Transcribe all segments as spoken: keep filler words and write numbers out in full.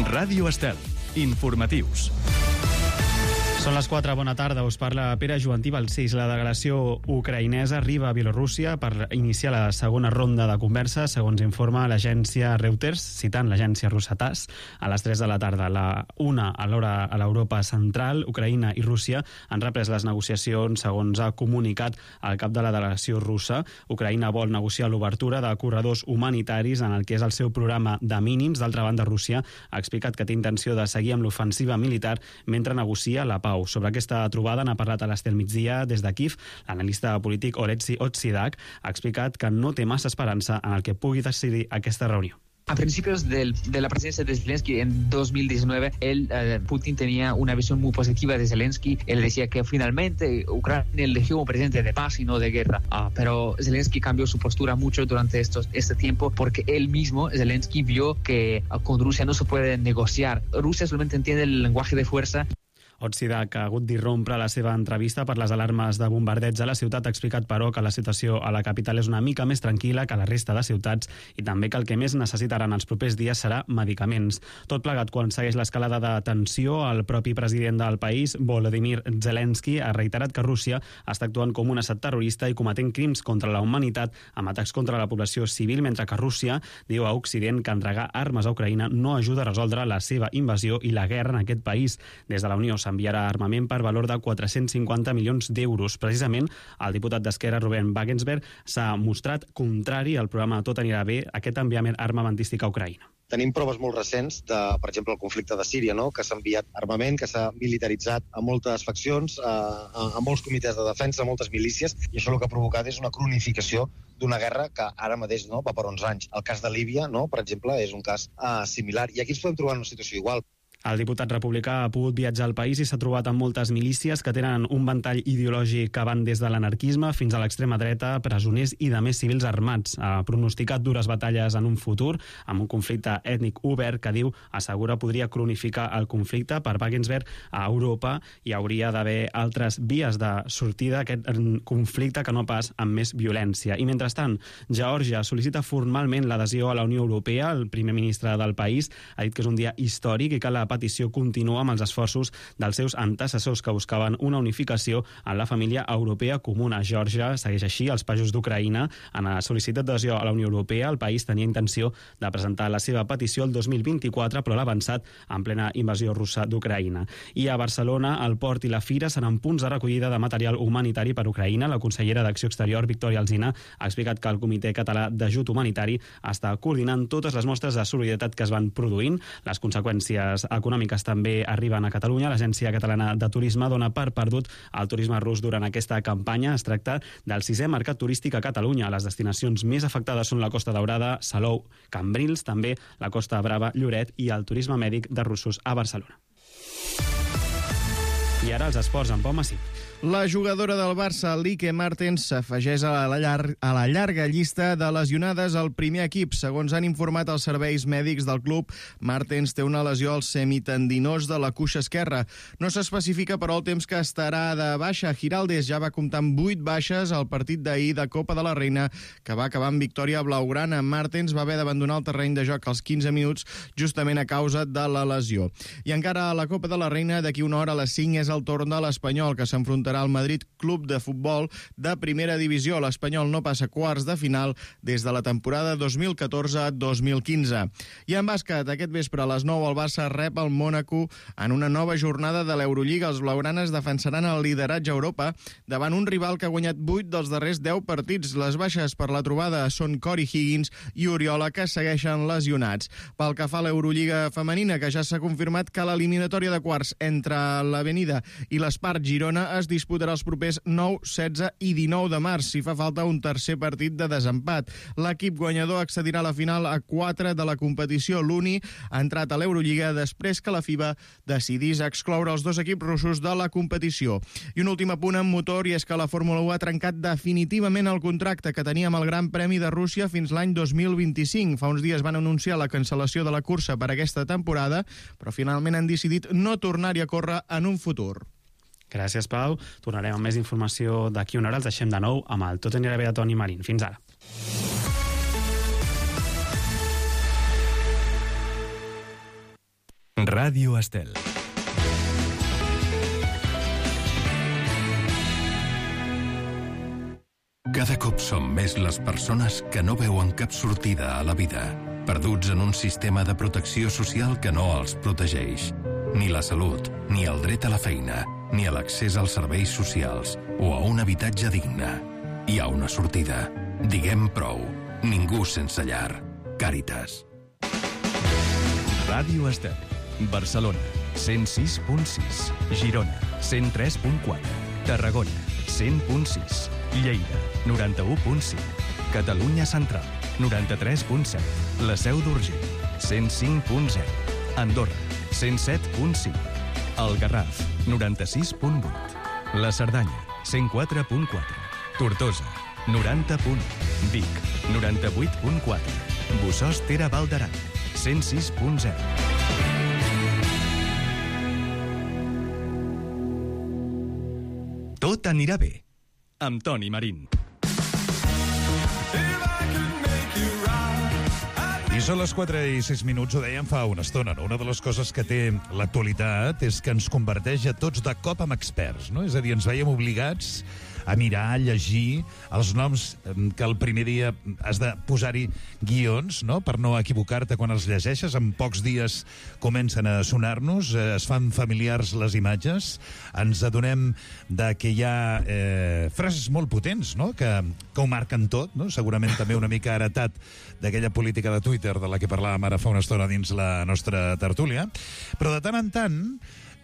Ràdio Estel. Informatius. Són les quatre, bona tarda, us parla Pere Joantí Balcells. La delegació ucraïnesa arriba a Bielorússia per iniciar la segona ronda de conversa, segons informa l'agència Reuters, citant l'agència russa TASS. A les tres de la tarda, la una a l'hora a l'Europa central, Ucraïna i Rússia han reprès les negociacions, segons ha comunicat el cap de la delegació russa. Ucraïna vol negociar l'obertura de corredors humanitaris en el que és el seu programa de mínims. D'altra banda, Rússia ha explicat que té intenció de seguir amb l'ofensiva militar mentre negocia la pau. Sobre aquesta trobada n'ha parlat a l'Estel Migdia des de Kiev. L'analista polític Oleksiy Otsidak ha explicat que no té massa esperança en el que pugui decidir aquesta reunió. A principios del, de la presidencia de Zelensky en dos mil diecinueve, él, eh, Putin tenía una visión muy positiva de Zelensky. Él decía que finalmente Ucrania eligió un presidente de paz y no de guerra. Ah, pero Zelensky cambió su postura mucho durante estos, este tiempo porque él mismo, Zelensky, vio que ah, con Rusia no se puede negociar. Rusia solamente entiende el lenguaje de fuerza. Otsidak ha hagut d'irrompre la seva entrevista per les alarmes de bombardeig a la ciutat. Ha explicat, però, que la situació a la capital és una mica més tranquil·la que la resta de ciutats i també que el que més necessitaran els propers dies serà medicaments. Tot plegat quan segueix l'escalada de tensió, el propi president del país, Volodymyr Zelensky, ha reiterat que Rússia està actuant com un estat terrorista i cometent crims contra la humanitat amb atacs contra la població civil, mentre que Rússia diu a Occident que entregar armes a Ucraïna no ajuda a resoldre la seva invasió i la guerra en aquest país. Des de la Unió enviarà armament per valor de quatre-cents cinquanta milions d'euros. Precisament, el diputat d'Esquerra, Ruben Wagensberg, s'ha mostrat contrari al programa Tot anirà bé, aquest enviament armamentístic a Ucraïna. Tenim proves molt recents de, per exemple, el conflicte de Síria, no? Que s'ha enviat armament, que s'ha militaritzat a moltes faccions, a, a, a molts comitès de defensa, a moltes milícies, i això el que ha provocat és una cronificació d'una guerra que ara mateix no, va per onze anys. El cas de Líbia, no, per exemple, és un cas uh, similar, i aquí ens podem trobar en una situació igual. El diputat republicà ha pogut viatjar al país i s'ha trobat amb moltes milícies que tenen un ventall ideològic que van des de l'anarquisme fins a l'extrema dreta, presoners i de més civils armats. Ha pronosticat dures batalles en un futur amb un conflicte ètnic obert que diu, assegura, podria cronificar el conflicte. Per Wagensberg, a Europa hi hauria d'haver altres vies de sortida d'aquest conflicte que no pas amb més violència. I mentrestant, Geòrgia sol·licita formalment l'adhesió a la Unió Europea. El primer ministre del país ha dit que és un dia històric i que la petició continua amb els esforços dels seus antecessors que buscaven una unificació en la família europea comuna. Geòrgia segueix així els països d'Ucraïna. En la sol·licitud d'adhesió a la Unió Europea, el país tenia intenció de presentar la seva petició el dos mil vint-i-quatre, però l'ha avançat en plena invasió russa d'Ucraïna. I a Barcelona, el port i la fira seran punts de recollida de material humanitari per Ucraïna. La consellera d'Acció Exterior, Victòria Alsina, ha explicat que el Comitè Català d'Ajut Humanitari està coordinant totes les mostres de solidaritat que es van produint. Les conseqüències econòmiques també arriben a Catalunya. L'Agència Catalana de Turisme dona per perdut el turisme rus durant aquesta campanya. Es tracta del sisè mercat turístic a Catalunya. Les destinacions més afectades són la Costa Daurada, Salou, Cambrils, també la Costa Brava, Lloret i el turisme mèdic de russos a Barcelona. I ara els esports amb Pau Massip. La jugadora del Barça, Lieke Martens, s'afegeix a la, llar a la llarga llista de lesionades al primer equip. Segons han informat els serveis mèdics del club, Martens té una lesió al semitendinós de la cuixa esquerra. No s'especifica, però, el temps que estarà de baixa. Giraldez ja va comptar amb vuit baixes al partit d'ahir de Copa de la Reina, que va acabar amb victòria blaugrana. Martens va haver d'abandonar el terreny de joc als quinze minuts, justament a causa de la lesió. I encara a la Copa de la Reina, d'aquí una hora a les cinc és el torn de l'Espanyol, que s'enfrontarà al Madrid Club de Futbol de primera divisió. L'Espanyol no passa quarts de final des de la temporada dos mil catorze dos mil quinze. I en bàsquet, aquest vespre a les nou el Barça rep el Mònaco en una nova jornada de l'Eurolliga. Els blaugranes defensaran el lideratge a Europa davant un rival que ha guanyat vuit dels darrers deu partits. Les baixes per la trobada són Corey Higgins i Oriola, que segueixen lesionats. Pel que fa a l'Eurolliga femenina, que ja s'ha confirmat que l'eliminatòria de quarts entre l'Avenida i l'Espart Girona es disputarà els propers nou, setze i dinou de març, si fa falta un tercer partit de desempat. L'equip guanyador accedirà a la final a quatre de la competició. L'Uni ha entrat a l'Eurolliga després que la FIBA decidís excloure els dos equips russos de la competició. I un últim apunt en motor, i és que la Fórmula u ha trencat definitivament el contracte que tenia amb el Gran Premi de Rússia fins l'any dos mil vint-i-cinc. Fa uns dies van anunciar la cancel·lació de la cursa per aquesta temporada, però finalment han decidit no tornar-hi a córrer en un futur. Gràcies, Pau. Tornarem amb més informació d'aquí una hora. Els deixem de nou amb el Tot anirà bé de Toni Marín. Fins ara. Ràdio Estel. Cada cop som més les persones que no veuen cap sortida a la vida, perduts en un sistema de protecció social que no els protegeix. Ni la salut, ni el dret a la feina, ni a l'accés als serveis socials o a un habitatge digne. Hi ha una sortida. Diguem prou. Ningú sense llar. Càritas. Ràdio Estel. Barcelona, cent sis punt sis. Girona, cent tres punt quatre. Tarragona, cent punt sis. Lleida, noranta-u punt cinc. Catalunya Central, noranta-tres punt set. La Seu d'Urgell, cent cinc punt zero. Andorra, cent set punt cinc. El Garraf, noranta-sis punt vuit. La Cerdanya, cent quatre punt quatre. Tortosa, noranta punt u. Vic, noranta-vuit punt quatre. Bossòst Tere Val d'Aran, cent sis punt zero. Tot anirà bé, amb Toni Marín. I són les quatre i sis minuts, ho dèiem fa una estona, no? Una de les coses que té l'actualitat és que ens converteix a tots de cop en experts, no? És a dir, ens veiem obligats a mirar, a llegir els noms que el primer dia has de posar-hi guions, no?, per no equivocar-te quan els llegeixes. En pocs dies comencen a sonar-nos, eh, es fan familiars les imatges, ens adonem de que hi ha eh, frases molt potents, no?, que, que ho marquen tot, no?, segurament també una mica heretat d'aquella política de Twitter de la que parlàvem ara fa una estona dins la nostra tertúlia, però de tant en tant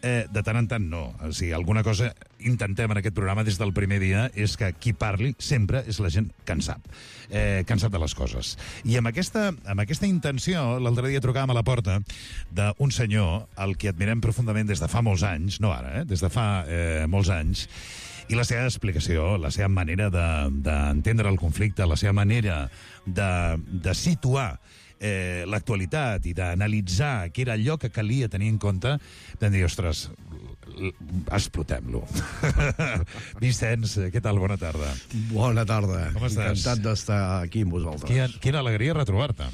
Eh, de tant en tant no. O sigui, alguna cosa intentem en aquest programa des del primer dia és que qui parli sempre és la gent que en sap, eh, que en sap de les coses. I amb aquesta, amb aquesta intenció, l'altre dia trucàvem a la porta d'un senyor al que admirem profundament des de fa molts anys, no ara, eh, des de fa eh, molts anys, i la seva explicació, la seva manera d'entendre de, el conflicte, la seva manera de, de situar Eh, l'actualitat i d'analitzar què era allò que calia tenir en compte, vam dir, ostres, explotem-lo. Vicenç, què tal? Bona tarda. Bona tarda. Com estàs? Encantat d'estar aquí amb vosaltres. Quina, quina alegria retrobar-te.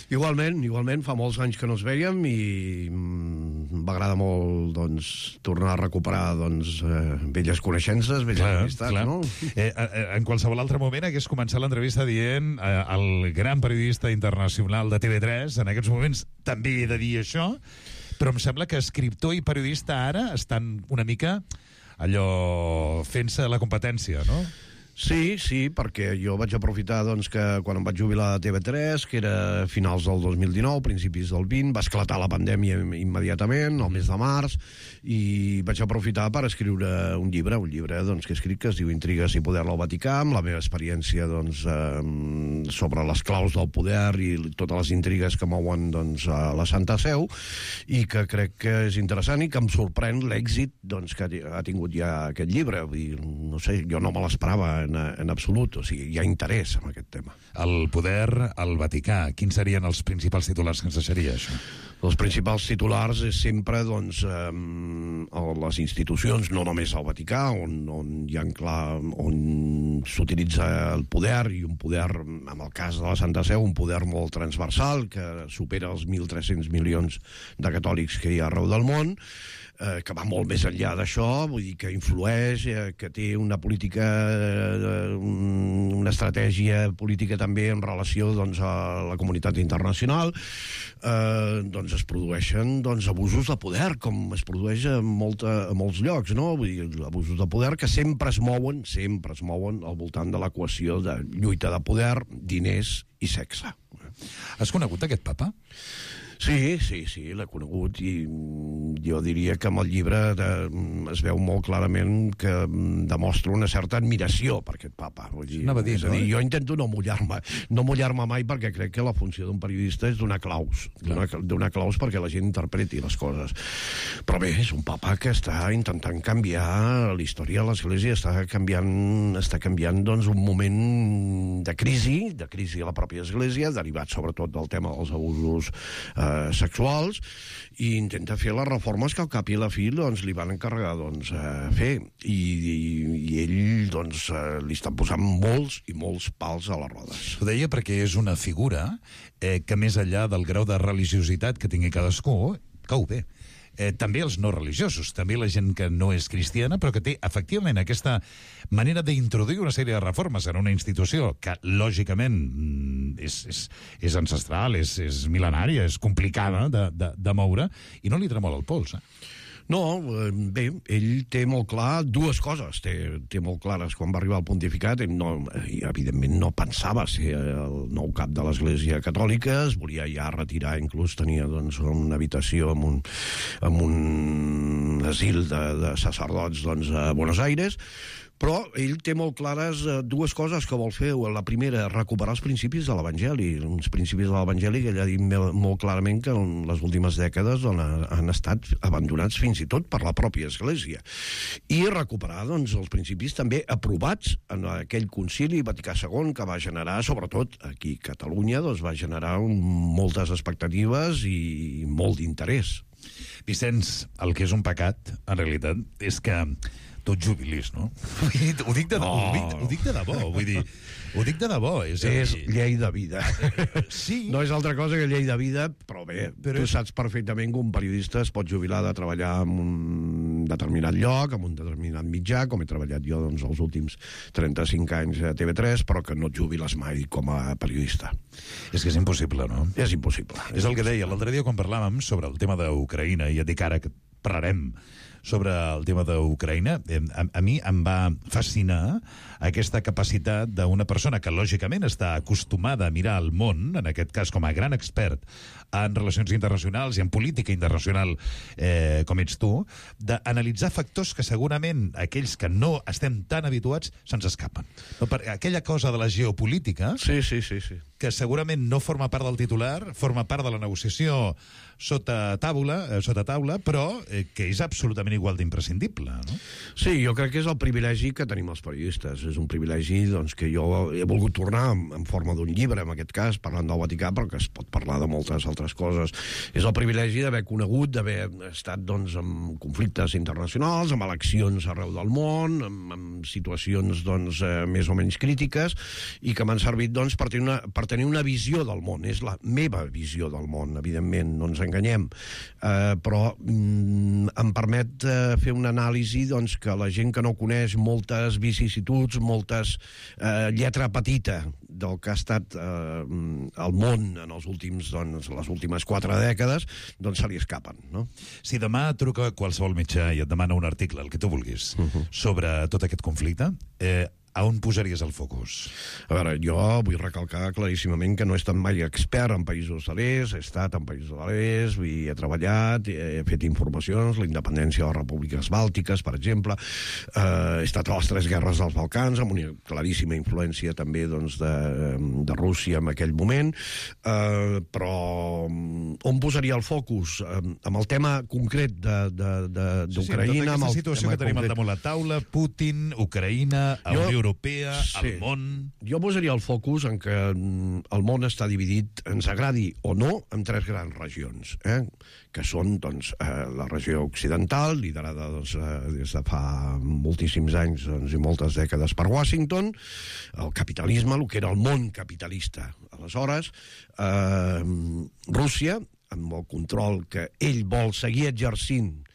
Igualment, igualment, fa molts anys que no ens vèiem i m'agrada molt, doncs, tornar a recuperar, doncs, eh, velles coneixences, velles clar, amistats, clar. No? Eh, eh, en qualsevol altre moment hagués començat l'entrevista dient eh, el gran periodista internacional de T V tres, en aquests moments també he de dir això, però em sembla que escriptor i periodista ara estan una mica allò fent-se la competència, no? Sí, sí, perquè jo vaig aprofitar, doncs, que quan em vaig jubilar a T V tres, que era finals del dos mil dinou, principis del vint, va esclatar la pandèmia immediatament, al mes de març, i vaig aprofitar per escriure un llibre, un llibre, doncs, que he escrit, que es diu Intrigues i poder al Vaticà, amb la meva experiència, doncs, eh, sobre les claus del poder i totes les intrigues que mouen, doncs, a la Santa Seu, i que crec que és interessant i que em sorprèn l'èxit, doncs, que ha tingut ja aquest llibre. Vull dir, no sé, jo no me l'esperava en, en absolut, o sigui, hi ha interès en aquest tema. El poder al Vaticà, quins serien els principals titulars que ens deixaria això? Els principals titulars és sempre, doncs, eh, les institucions, no només al Vaticà, on, on hi ha clar, on s'utilitza el poder, i un poder, en el cas de la Santa Seu, un poder molt transversal, que supera els mil tres-cents milions de catòlics que hi ha arreu del món, eh, que va molt més enllà d'això, vull dir que influeix, eh, que té una política, eh, una estratègia política també en relació, doncs, a la comunitat internacional, eh, doncs es produeixen, doncs, abusos de poder, com es produeix a, molta, a molts llocs, no? Vull dir, abusos de poder que sempre es mouen, sempre es mouen al voltant de l'equació de lluita de poder, diners i sexe. Has conegut aquest papa? Sí, sí, sí, l'he conegut i jo diria que amb el llibre de, es veu molt clarament que demostra una certa admiració per aquest papa. Vull dir, Anava a dir, és a dir, no? jo intento no mullar-me, no mullar-me mai perquè crec que la funció d'un periodista és donar claus, donar, donar claus perquè la gent interpreti les coses. Però bé, és un papa que està intentant canviar la història de l'Església, està canviant, està canviant doncs, un moment de crisi, de crisi a la pròpia Església, derivat sobretot del tema dels abusos eh, sexuals, i intenta fer les reformes que al cap i a la fi doncs, li van encarregar doncs, a fer, i, i, i ell doncs, li estan posant molts i molts pals a les rodes. Ho deia perquè és una figura eh, que més enllà del grau de religiositat que tingui cadascú, cou bé. Eh, també els no religiosos, també la gent que no és cristiana, però que té, efectivament, aquesta manera d'introduir una sèrie de reformes en una institució que, lògicament, és, és, és ancestral, és, és mil·lenària, és complicada de, de, de moure, i no li tremola el pols, eh? No, bé, ell té molt clar dues coses, té, té molt clares quan va arribar al pontificat. Ell no, evidentment no pensava ser el nou cap de l'Església Catòlica, es volia ja retirar, inclús tenia doncs, una habitació en un, en un asil de, de sacerdots doncs, a Buenos Aires, però ell té molt clares dues coses que vol fer. La primera, recuperar els principis de l'Evangeli, uns principis de l'Evangeli que ell ha dit molt clarament que en les últimes dècades on han estat abandonats fins i tot per la pròpia Església. I recuperar doncs, els principis també aprovats en aquell concili Vaticà segon que va generar, sobretot aquí a Catalunya, doncs, va generar moltes expectatives i molt d'interès. Vicenç, el que és un pecat, en realitat, és que tot jubilis, no? Ho dic de, no. ho dic, ho dic de debò, vull dir, ho dic de debò. És, és llei de vida. Sí. No és altra cosa que llei de vida, però bé, però tu és... saps perfectament que un periodista es pot jubilar de treballar en un determinat lloc, en un determinat mitjà, com he treballat jo doncs, els últims trenta-cinc anys a T V tres, però que no et jubiles mai com a periodista. És que és impossible, no? És impossible. És el que deia l'altre dia quan parlàvem sobre el tema d'Ucraïna, i et dic ara que parlarem sobre el tema d'Ucraïna, a, a mi em va fascinar aquesta capacitat d'una persona que lògicament està acostumada a mirar el món, en aquest cas com a gran expert en relacions internacionals i en política internacional eh, com ets tu, d'analitzar factors que segurament aquells que no estem tan habituats se'ns escapen. No, per aquella cosa de la geopolítica, sí, sí, sí, sí. que segurament no forma part del titular, forma part de la negociació sota taula, eh, sota taula, però eh, que és absolutament igual d'imprescindible, no? Sí, jo crec que és el privilegi que tenim els periodistes. És un privilegi doncs, que jo he volgut tornar en, en forma d'un llibre, en aquest cas, parlant del Vaticà, però que es pot parlar de moltes altres coses. És el privilegi d'haver conegut, d'haver estat doncs, en conflictes internacionals, amb eleccions arreu del món, amb, amb situacions doncs, eh, més o menys crítiques, i que m'han servit doncs, per, tenir una, per tenir una visió del món. És la meva visió del món, evidentment, no ens enganyem, eh, però mm, em permet eh, fer una anàlisi doncs, que la gent que no coneix moltes vicissituds, moltes eh, lletra petita del que ha estat eh, el món en els últims, doncs, les últimes quatre dècades, doncs se li escapen, no? Si demà truca qualsevol mitjà i et demana un article, el que tu vulguis, uh -huh. sobre tot aquest conflicte, eh, a on posaries el focus? A veure, jo vull recalcar claríssimament que no he estat mai expert en països de l'est, he estat en països de l'est, he treballat, he fet informacions, la independència de les repúbliques bàltiques, per exemple, eh, he estat a les tres guerres dels Balcans, amb una claríssima influència també doncs, de, de Rússia en aquell moment, eh, però on posaria el focus? Eh, amb el tema concret d'Ucraïna... Sí, sí, tota aquesta situació que tenim concret... al damunt la taula, Putin, Ucraïna, jo... Unió Europea, sí. El món... Jo posaria el focus en que el món està dividit, ens agradi o no, en tres grans regions, eh? que són doncs, eh, la regió occidental, liderada doncs, eh, des de fa moltíssims anys doncs, i moltes dècades per Washington, el capitalisme, el que era el món capitalista. Aleshores, eh, Rússia, amb el control que ell vol seguir exercint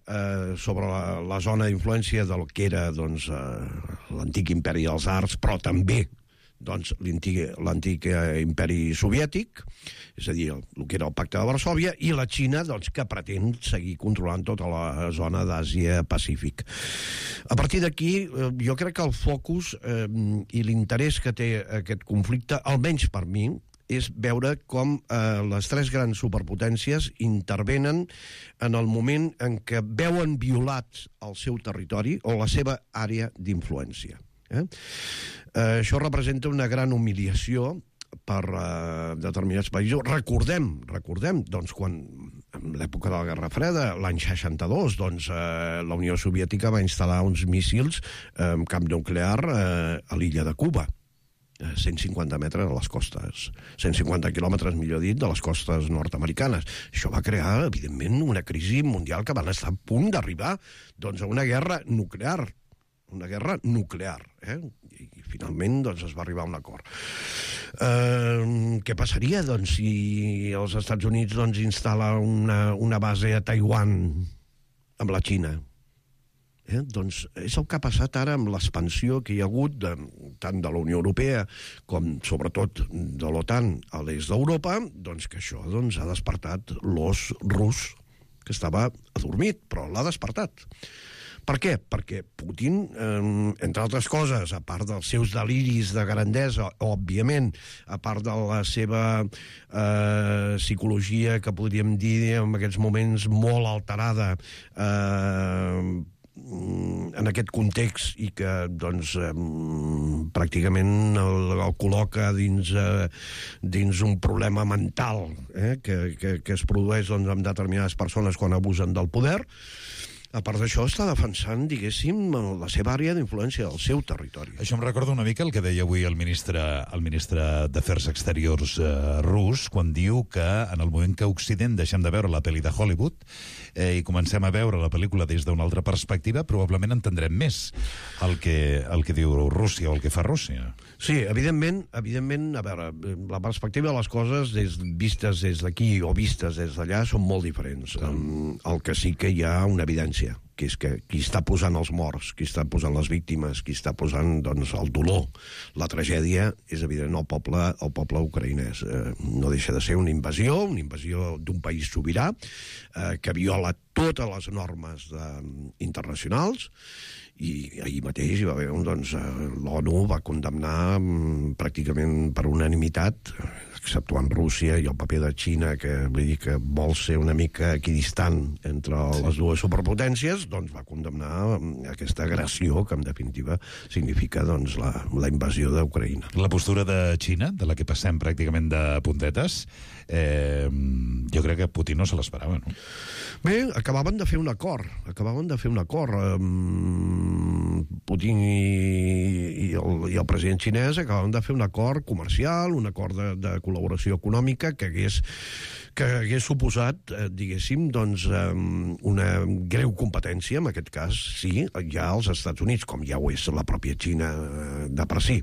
Eh, sobre la, la zona d'influència del que era doncs, eh, l'antic imperi dels arts, però també doncs, l'antic imperi soviètic, és a dir, el, el que era el pacte de Varsòvia, i la Xina, doncs, que pretén seguir controlant tota la zona d'Àsia-Pacífic. A partir d'aquí, eh, jo crec que el focus eh, i l'interès que té aquest conflicte, almenys per mi, és veure com eh, les tres grans superpotències intervenen en el moment en què veuen violat el seu territori o la seva àrea d'influència. Eh? Eh, això representa una gran humiliació per eh, determinats països. Recordem, recordem, doncs, quan en l'època de la Guerra Freda, l'any seixanta-dos, doncs, eh, la Unió Soviètica va instal·lar uns míssils eh, amb camp nuclear eh, a l'illa de Cuba. cent cinquanta metres a les costes, cent cinquanta quilòmetres, millor dit, de les costes nord-americanes. Això va crear, evidentment, una crisi mundial que van estar a punt d'arribar doncs, a una guerra nuclear, una guerra nuclear, eh? I finalment doncs, es va arribar a un acord. Eh, què passaria, doncs, si els Estats Units doncs, instal·la una, una base a Taiwan amb la Xina? Eh? Doncs és el que ha passat ara amb l'expansió que hi ha hagut de, tant de la Unió Europea com sobretot de l'OTAN a l'est d'Europa, doncs que això doncs, ha despertat l'os rus que estava adormit, però l'ha despertat. Per què? Perquè Putin, eh, entre altres coses, a part dels seus deliris de grandesa, òbviament, a part de la seva eh, psicologia, que podríem dir en aquests moments molt alterada, eh, en aquest context i que doncs, eh, pràcticament el, el col·loca dins, eh, dins un problema mental eh, que, que, que es produeix doncs, amb determinades persones quan abusen del poder. A part d'això, està defensant, diguéssim, la seva àrea d'influència, el seu territori. Això em recorda una mica el que deia avui el ministre, el ministre d'Afers Exteriors eh, rus, quan diu que en el moment que Occident deixem de veure la pel·li de Hollywood eh, i comencem a veure la pel·lícula des d'una altra perspectiva, probablement entendrem més el que, el que diu Rússia o el que fa Rússia. Sí, evidentment, evidentment, a veure, la perspectiva de les coses des, vistes des d'aquí o vistes des d'allà són molt diferents. Um, el que sí que hi ha una evidència, que és que qui està posant els morts, qui està posant les víctimes, qui està posant doncs, el dolor, la tragèdia, és evident el poble, el poble ucraïnès. Eh, no deixa de ser una invasió, una invasió d'un país sobirà, eh, que viola totes les normes de, internacionals, i ahir mateix hi va haver, doncs, l'ONU va condemnar mm, pràcticament per unanimitat, exceptuant Rússia i el paper de Xina, que vull dir que vol ser una mica equidistant entre les dues superpotències, doncs va condemnar aquesta agressió que en definitiva significa doncs, la, la invasió d'Ucraïna. La postura de Xina, de la que passem pràcticament de puntetes, eh, jo crec que Putin no se l'esperava, no? Bé, acabaven de fer un acord, acabaven de fer un acord. Um, Putin i, i, el, i el president xinès acabaven de fer un acord comercial, un acord de, de col·laboració econòmica que hagués, que hagués suposat, eh, diguéssim, doncs, um, una greu competència, en aquest cas, sí, ja als Estats Units, com ja ho és la pròpia Xina de per si.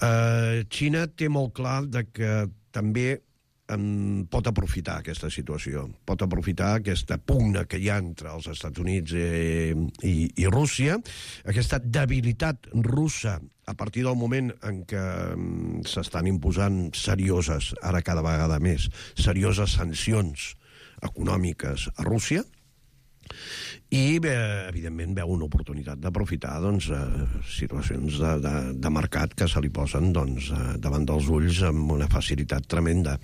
Uh, Xina té molt clar de que també en pot aprofitar aquesta situació, pot aprofitar aquesta pugna que hi ha entre els Estats Units i, i, i Rússia, aquesta debilitat russa a partir del moment en què s'estan imposant serioses, ara cada vegada més, serioses sancions econòmiques a Rússia, i eh, evidentment veu una oportunitat d'aprofitar doncs, eh, situacions de, de, de mercat que se li posen doncs, eh, davant dels ulls amb una facilitat tremenda.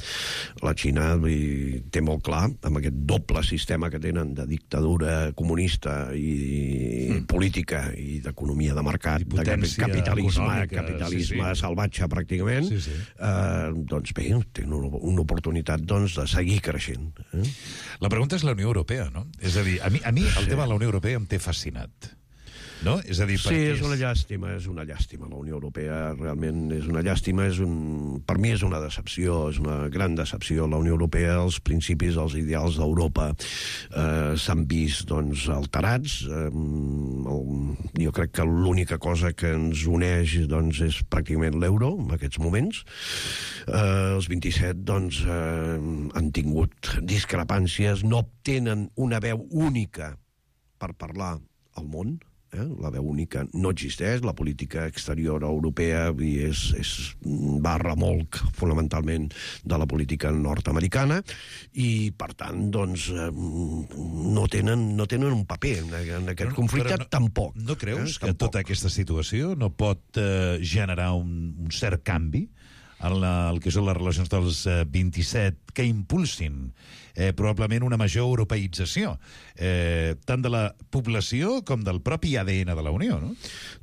La Xina i, té molt clar, amb aquest doble sistema que tenen de dictadura comunista i, mm. política i d'economia de mercat, de capitalisme, capitalisme sí, sí. salvatge pràcticament, sí, sí. Eh, doncs bé, tenen una, una oportunitat doncs, de seguir creixent. Eh? La pregunta és la Unió Europea, no? És a dir, a mi, a mi el sí. tema de la Unió Europea em té fascinat. No? És a dir, sí, és una llàstima, és una llàstima. La Unió Europea realment és una llàstima, és un... per mi és una decepció, és una gran decepció. La Unió Europea, els principis, els ideals d'Europa eh, s'han vist doncs, alterats. Eh, el... Jo crec que l'única cosa que ens uneix doncs, és pràcticament l'euro en aquests moments. Eh, els vint-i-set doncs, eh, han tingut discrepàncies, no obtenen una veu única per parlar al món. Eh? La veu única no existeix, la política exterior europea és, és va a remolc fonamentalment de la política nord-americana i per tant doncs no tenen, no tenen un paper en, en aquest però, conflicte però no, tampoc. No creus eh? que tampoc. Tota aquesta situació no pot eh, generar un, un cert canvi en la, el que són les relacions dels eh, vint-i-set que impulsin eh, probablement una major europeïtzació eh, tant de la població com del propi A D N de la Unió, no?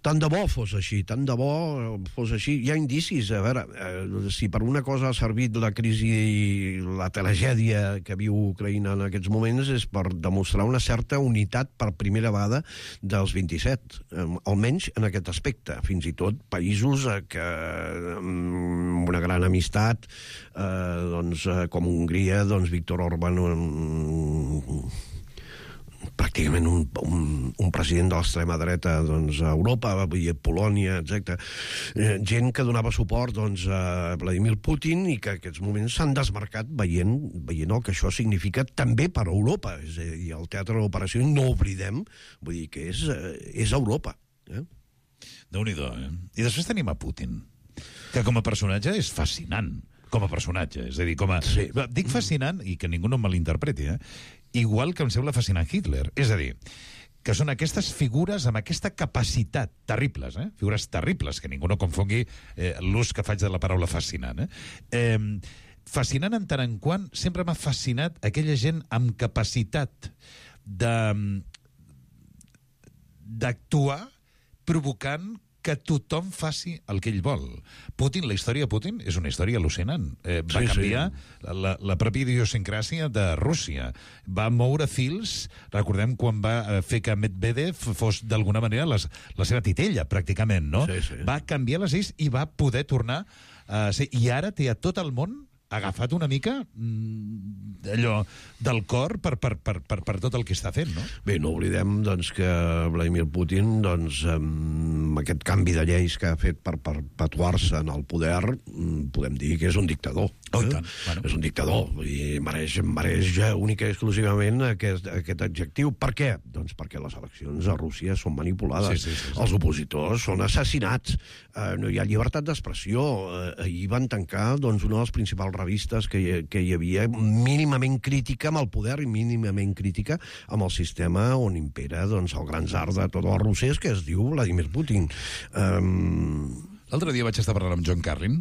Tant de bo fos així, tant de bo fos així. Hi ha indicis, a veure, eh, si per una cosa ha servit la crisi i la tragèdia que viu Ucraïna en aquests moments és per demostrar una certa unitat per primera vegada dels vint-i-set, eh, almenys en aquest aspecte. Fins i tot països eh, que amb una gran amistat eh, doncs, eh, com Hongria, doncs Víctor Orbán eh, pràcticament un, un, un president de l'extrema dreta doncs, a Europa, a Polònia, etcètera. Eh, gent que donava suport doncs, a Vladimir Putin i que en aquests moments s'han desmarcat veient, veient el que això significa també per a Europa. És a dir, el teatre d'operació, no oblidem, vull dir que és, és Europa. Eh? Déu-n'hi-do, eh? I després tenim a Putin, que com a personatge és fascinant. Com a personatge, és a dir, com a... Sí. Dic fascinant, i que ningú no em malinterpreti, eh? Igual que em sembla fascinant Hitler. És a dir, que són aquestes figures amb aquesta capacitat, terribles, eh? Figures terribles, que ningú no confongui eh, l'ús que faig de la paraula fascinant. Eh? Eh, fascinant en tant en quant sempre m'ha fascinat aquella gent amb capacitat de d'actuar provocant que tothom faci el que ell vol. Putin, la història de Putin és una història al·lucinant. Eh, va sí, canviar sí. La, la pròpia idiosincràsia de Rússia. Va moure fils, recordem quan va fer que Medvedev fos d'alguna manera les, la seva titella, pràcticament, no? Sí, sí. Va canviar les lleis i va poder tornar a ser... I ara té a tot el món agafat una mica mmm, allò del cor per, per, per, per, per tot el que està fent, no? Bé, no oblidem doncs, que Vladimir Putin, doncs, amb aquest canvi de lleis que ha fet per perpetuar-se en el poder, podem dir que és un dictador. Oh, eh? tant. Bueno. És un dictador i mereix, mereix única i exclusivament aquest, aquest adjectiu. Per què? Doncs perquè les eleccions a Rússia són manipulades. Sí, sí, sí, sí. Els opositors són assassinats. Eh, no hi ha llibertat d'expressió. Eh, ahir van tancar doncs, una de les principals revistes que hi, que hi havia mínimament crítica amb el poder i mínimament crítica amb el sistema on impera doncs, el gran tsar de tot el Rússia, que es diu Vladimir Putin. Um... L'altre dia vaig estar parlant amb John Carlin,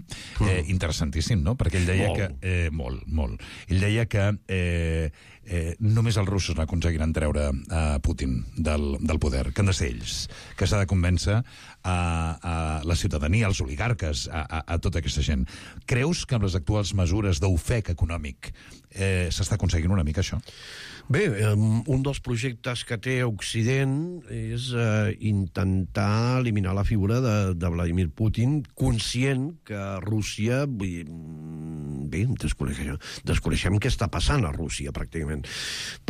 eh, interessantíssim, no? Perquè ell deia molt. que... Eh, molt, molt. Ell deia que eh, eh, només els russos n'aconseguiran treure a Putin del, del poder, que han de ser ells, que s'ha de convèncer a, a la ciutadania, als oligarques, a, a, a tota aquesta gent. Creus que amb les actuals mesures d'ofec econòmic eh, s'està aconseguint una mica això? Bé, un dels projectes que té Occident és eh, intentar eliminar la figura de, de Vladimir Putin, conscient que Rússia... Vull, bé, desconeixem, desconeixem què està passant a Rússia, pràcticament.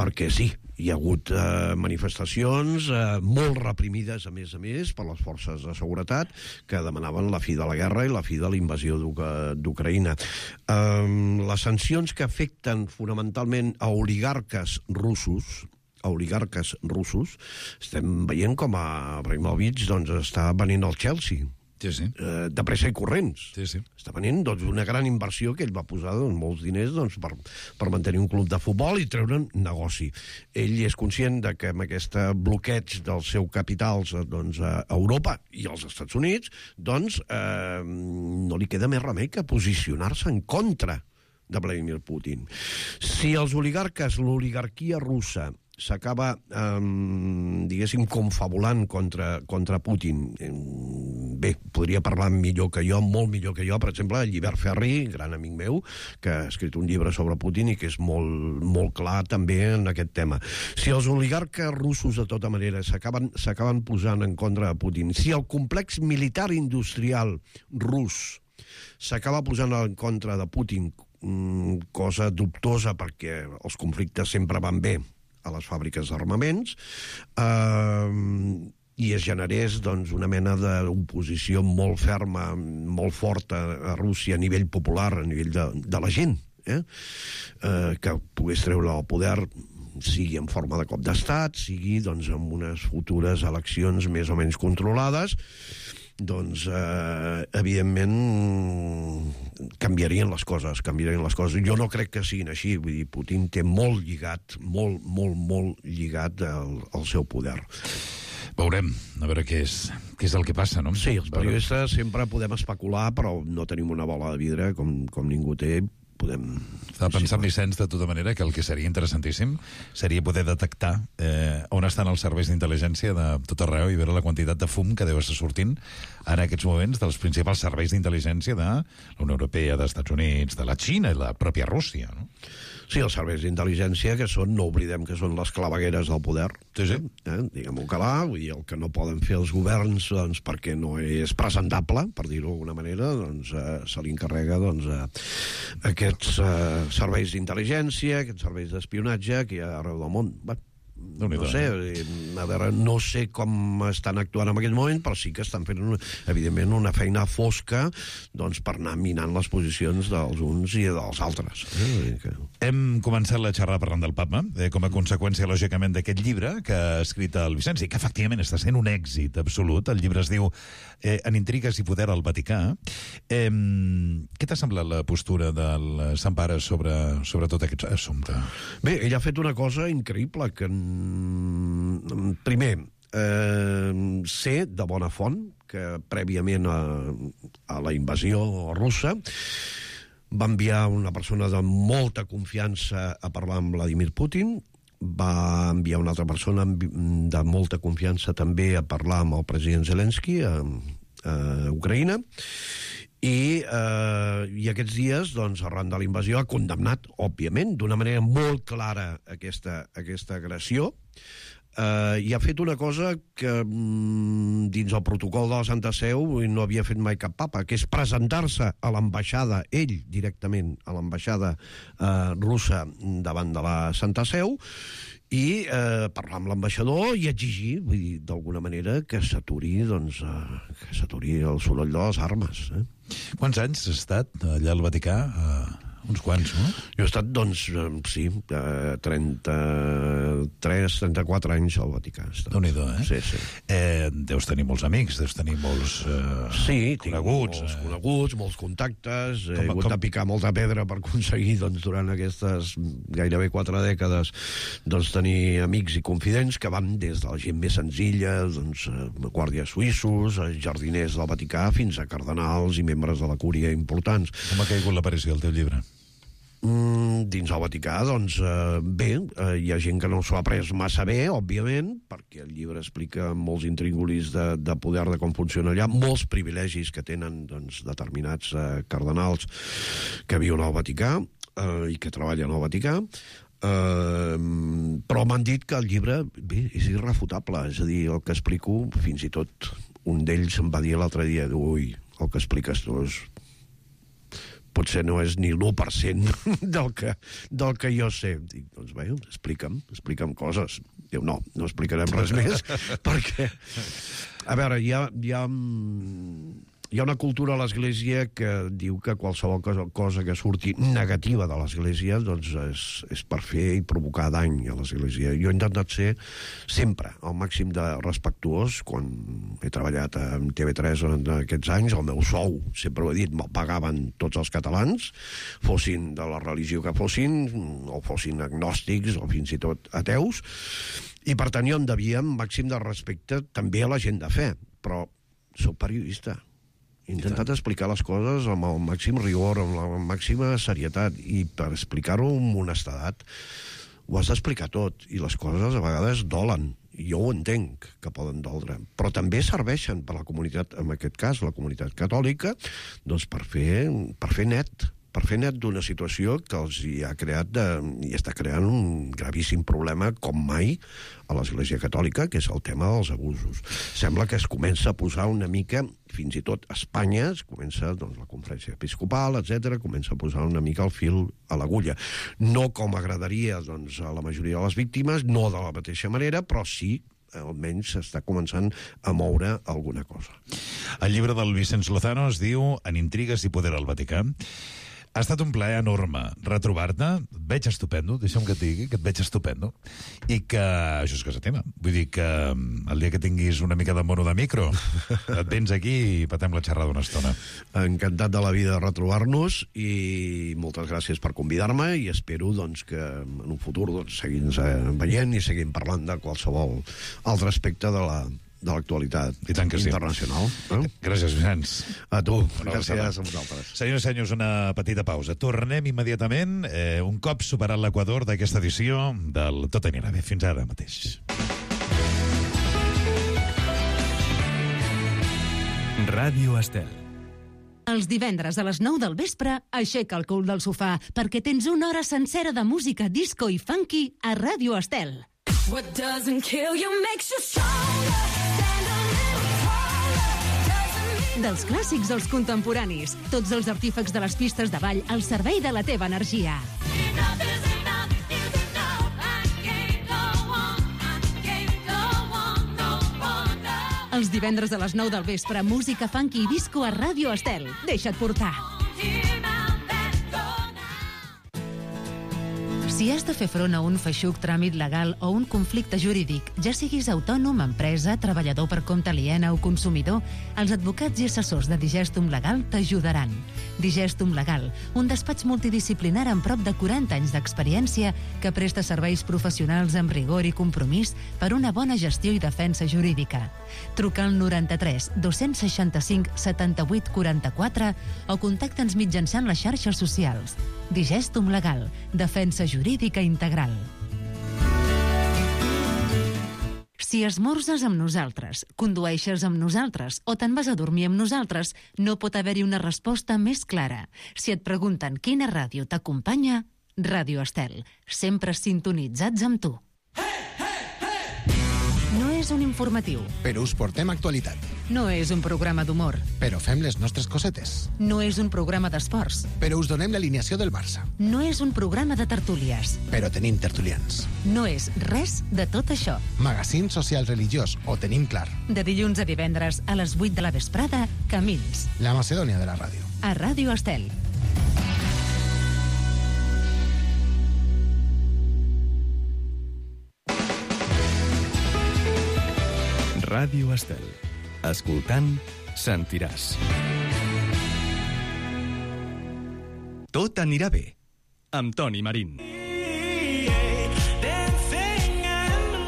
Perquè sí, hi ha hagut eh, manifestacions eh, molt reprimides, a més a més, per les forces de seguretat, que demanaven la fi de la guerra i la fi de la invasió d'Ucraïna. Eh, les sancions que afecten fonamentalment a oligarques russos, a oligarques russos, estem veient com a Abramovich doncs, està venint al Chelsea. Sí, sí. Eh, de pressa i corrents. Sí, sí. Està venint doncs, una gran inversió que ell va posar doncs, molts diners doncs, per, per mantenir un club de futbol i treure'n negoci. Ell és conscient de que amb aquest bloqueig dels seus capitals doncs, a Europa i als Estats Units doncs, eh, no li queda més remei que posicionar-se en contra de Vladimir Putin. Si els oligarques, l'oligarquia russa, s'acaba, eh, diguéssim, confabulant contra, contra Putin. Bé, podria parlar millor que jo, molt millor que jo, per exemple, el Llibert Ferri, gran amic meu, que ha escrit un llibre sobre Putin i que és molt, molt clar també en aquest tema. Si els oligarques russos, de tota manera, s'acaben s'acaben posant en contra de Putin, si el complex militar industrial rus s'acaba posant en contra de Putin, cosa dubtosa perquè els conflictes sempre van bé a les fàbriques d'armaments, eh, i es generés doncs, una mena d'oposició molt ferma, molt forta a Rússia a nivell popular, a nivell de, de la gent, eh? Eh, que pogués treure el poder, sigui en forma de cop d'estat, sigui doncs, amb unes futures eleccions més o menys controlades, doncs, eh, evidentment, canviarien les coses, canviarien les coses. Jo no crec que siguin així, vull dir, Putin té molt lligat, molt, molt, molt lligat al, al seu poder. Veurem, a veure què és, què és el que passa, no? Sí, els periodistes sempre podem especular, però no tenim una bola de vidre, com, com ningú té, podem... Estava pensant, Vicenç, de tota manera, que el que seria interessantíssim seria poder detectar eh, on estan els serveis d'intel·ligència de tot arreu i veure la quantitat de fum que deu estar sortint en aquests moments dels principals serveis d'intel·ligència de la Unió Europea, dels Estats Units, de la Xina i la pròpia Rússia, no? Sí, els serveis d'intel·ligència, que són, no oblidem que són les clavegueres del poder. Sí, sí. Eh? Diguem-ho clar, vull dir, el que no poden fer els governs doncs, perquè no és presentable, per dir-ho d'alguna manera, doncs eh, se li encarrega doncs, eh, aquests eh, serveis d'intel·ligència, aquests serveis d'espionatge que hi ha arreu del món. Bé, no sé, a veure, no sé com estan actuant en aquest moment, però sí que estan fent, una, evidentment, una feina fosca doncs, per anar minant les posicions dels uns i dels altres. Eh? Que... Hem començat la xerrada parlant del papa, eh, com a conseqüència, lògicament, d'aquest llibre que ha escrit el Vicenç, i que efectivament està sent un èxit absolut. El llibre es diu eh, En intrigues i poder al Vaticà. Eh, què t'ha semblat la postura del Sant Pare sobre, sobre tot aquest assumpte? Bé, ell ha fet una cosa increïble, que primer, eh, sé de bona font que prèviament a, a la invasió russa va enviar una persona de molta confiança a parlar amb Vladimir Putin, va enviar una altra persona de molta confiança també a parlar amb el president Zelensky a, a Ucraïna, i, eh, i aquests dies, doncs, arran de la invasió, ha condemnat, òbviament, d'una manera molt clara aquesta, aquesta agressió, eh, i ha fet una cosa que mm, dins el protocol de la Santa Seu no havia fet mai cap papa, que és presentar-se a l'ambaixada, ell directament, a l'ambaixada eh, russa davant de la Santa Seu, i eh, parlar amb l'ambaixador i exigir, vull dir, d'alguna manera, que s'aturi, doncs, eh, que s'aturi el soroll de les armes. Eh? Quants anys has estat allà al Vaticà? Uh, uns quants, no? Jo he estat, doncs, sí, trenta-tres, trenta-quatre anys al Vaticà. Déu-n'hi-do, eh? Sí, sí. Eh, deus tenir molts amics, deus tenir molts eh, sí, coneguts. molts eh? coneguts, molts contactes. He Com- hagut com- de picar molta pedra per aconseguir, doncs, durant aquestes gairebé quatre dècades, doncs, tenir amics i confidents que van des de la gent més senzilla, doncs, eh, guàrdies suïssos, eh, jardiners del Vaticà, fins a cardenals i membres de la cúria importants. Com ha caigut l'aparició del teu llibre? Mm, dins el Vaticà, doncs, eh, bé, eh, hi ha gent que no s'ho ha pres massa bé, òbviament, perquè el llibre explica molts intríngulis de, de poder, de com funciona allà, molts privilegis que tenen, doncs, determinats eh, cardenals que viuen al Vaticà eh, i que treballen al Vaticà, eh, però m'han dit que el llibre, bé, és irrefutable, és a dir, el que explico, fins i tot un d'ells em va dir l'altre dia, ui, el que expliques tu és potser no és ni l'u per cent del que, del que jo sé. Dic, doncs bé, explica'm, explica'm coses. Diu, no, no explicarem res més, perquè, a veure, hi ha, hi ha, hi ha una cultura a l'Església que diu que qualsevol cosa, cosa que surti negativa de l'Església, doncs és, és per fer i provocar dany a l'Església. Jo he intentat ser sempre al màxim de respectuós. Quan he treballat a T V tres en aquests anys, el meu sou, sempre ho he dit, me'l pagaven tots els catalans, fossin de la religió que fossin, o fossin agnòstics, o fins i tot ateus, i per tant jo em devia un màxim de respecte també a la gent de fe, però soc periodista. He intentat explicar les coses amb el màxim rigor, amb la màxima serietat, i per explicar-ho amb honestedat ho has d'explicar tot, i les coses a vegades dolen. Jo ho entenc, que poden doldre, però també serveixen per la comunitat, en aquest cas la comunitat catòlica, doncs per fer, per fer net, per fer net d'una situació que els hi ha creat de, i està creant un gravíssim problema com mai a l'Església Catòlica, que és el tema dels abusos. Sembla que es comença a posar una mica, fins i tot a Espanya, es comença, doncs, la conferència episcopal, etcètera, comença a posar una mica el fil a l'agulla. No com agradaria, doncs, a la majoria de les víctimes, no de la mateixa manera, però sí almenys s'està començant a moure alguna cosa. El llibre del Vicenç Lozano es diu En intrigues i poder al Vaticà. Ha estat un plaer enorme retrobar-te. Et veig estupendo, deixa'm que et digui, que et veig estupendo. I que això és casa teva. Vull dir que el dia que tinguis una mica de mono de micro, et vens aquí i patem la xerrada una estona. Encantat de la vida de retrobar-nos i moltes gràcies per convidar-me i espero, doncs, que en un futur, doncs, seguim veient i seguim parlant de qualsevol altre aspecte de la de l'actualitat internacional. Sí. Eh? Gràcies, Vicenç. A tu. Gràcies a vosaltres. Senyors i senyors, una petita pausa. Tornem immediatament, eh, un cop superat l'equador d'aquesta edició del Tot anirà bé. Fins ara mateix. Ràdio Estel. Els divendres a les nou del vespre, aixeca el cul del sofà, perquè tens una hora sencera de música disco i funky a Ràdio Estel. What doesn't kill you makes you stronger. Stand a little taller. Doesn't mean... Dels clàssics als contemporanis, tots els artífecs de les pistes de ball al servei de la teva energia. Enough is enough is enough. I can't go on. Els divendres a les nou del vespre, música funky i disco a Ràdio Estel. Deixa't portar. Si has de fer front a un feixuc tràmit legal o un conflicte jurídic, ja siguis autònom, empresa, treballador per compte aliena o consumidor, els advocats i assessors de Digestum Legal t'ajudaran. Digestum Legal, un despatx multidisciplinar amb prop de quaranta anys d'experiència que presta serveis professionals amb rigor i compromís per una bona gestió i defensa jurídica. Truca al noranta-tres dos-cents seixanta-cinc setanta-vuit quaranta-quatre o contacta'ns mitjançant les xarxes socials. Digestum Legal, defensa jurídica integral. Si esmorzes amb nosaltres, condueixes amb nosaltres o te'n vas a dormir amb nosaltres, no pot haver-hi una resposta més clara. Si et pregunten quina ràdio t'acompanya, Ràdio Estel, sempre sintonitzats amb tu. No és un informatiu. Però us portem actualitat. No és un programa d'humor. Però fem les nostres cosetes. No és un programa d'esports. Però us donem l'alineació del Barça. No és un programa de tertúlies. Però tenim tertulians. No és res de tot això. Magazín social religiós, ho tenim clar. De dilluns a divendres a les vuit de la vesprada, Camins. La Macedònia de la ràdio. A Ràdio Estel. Ràdio Estel. Escoltant, sentiràs. Tot anirà bé, amb Toni Marín.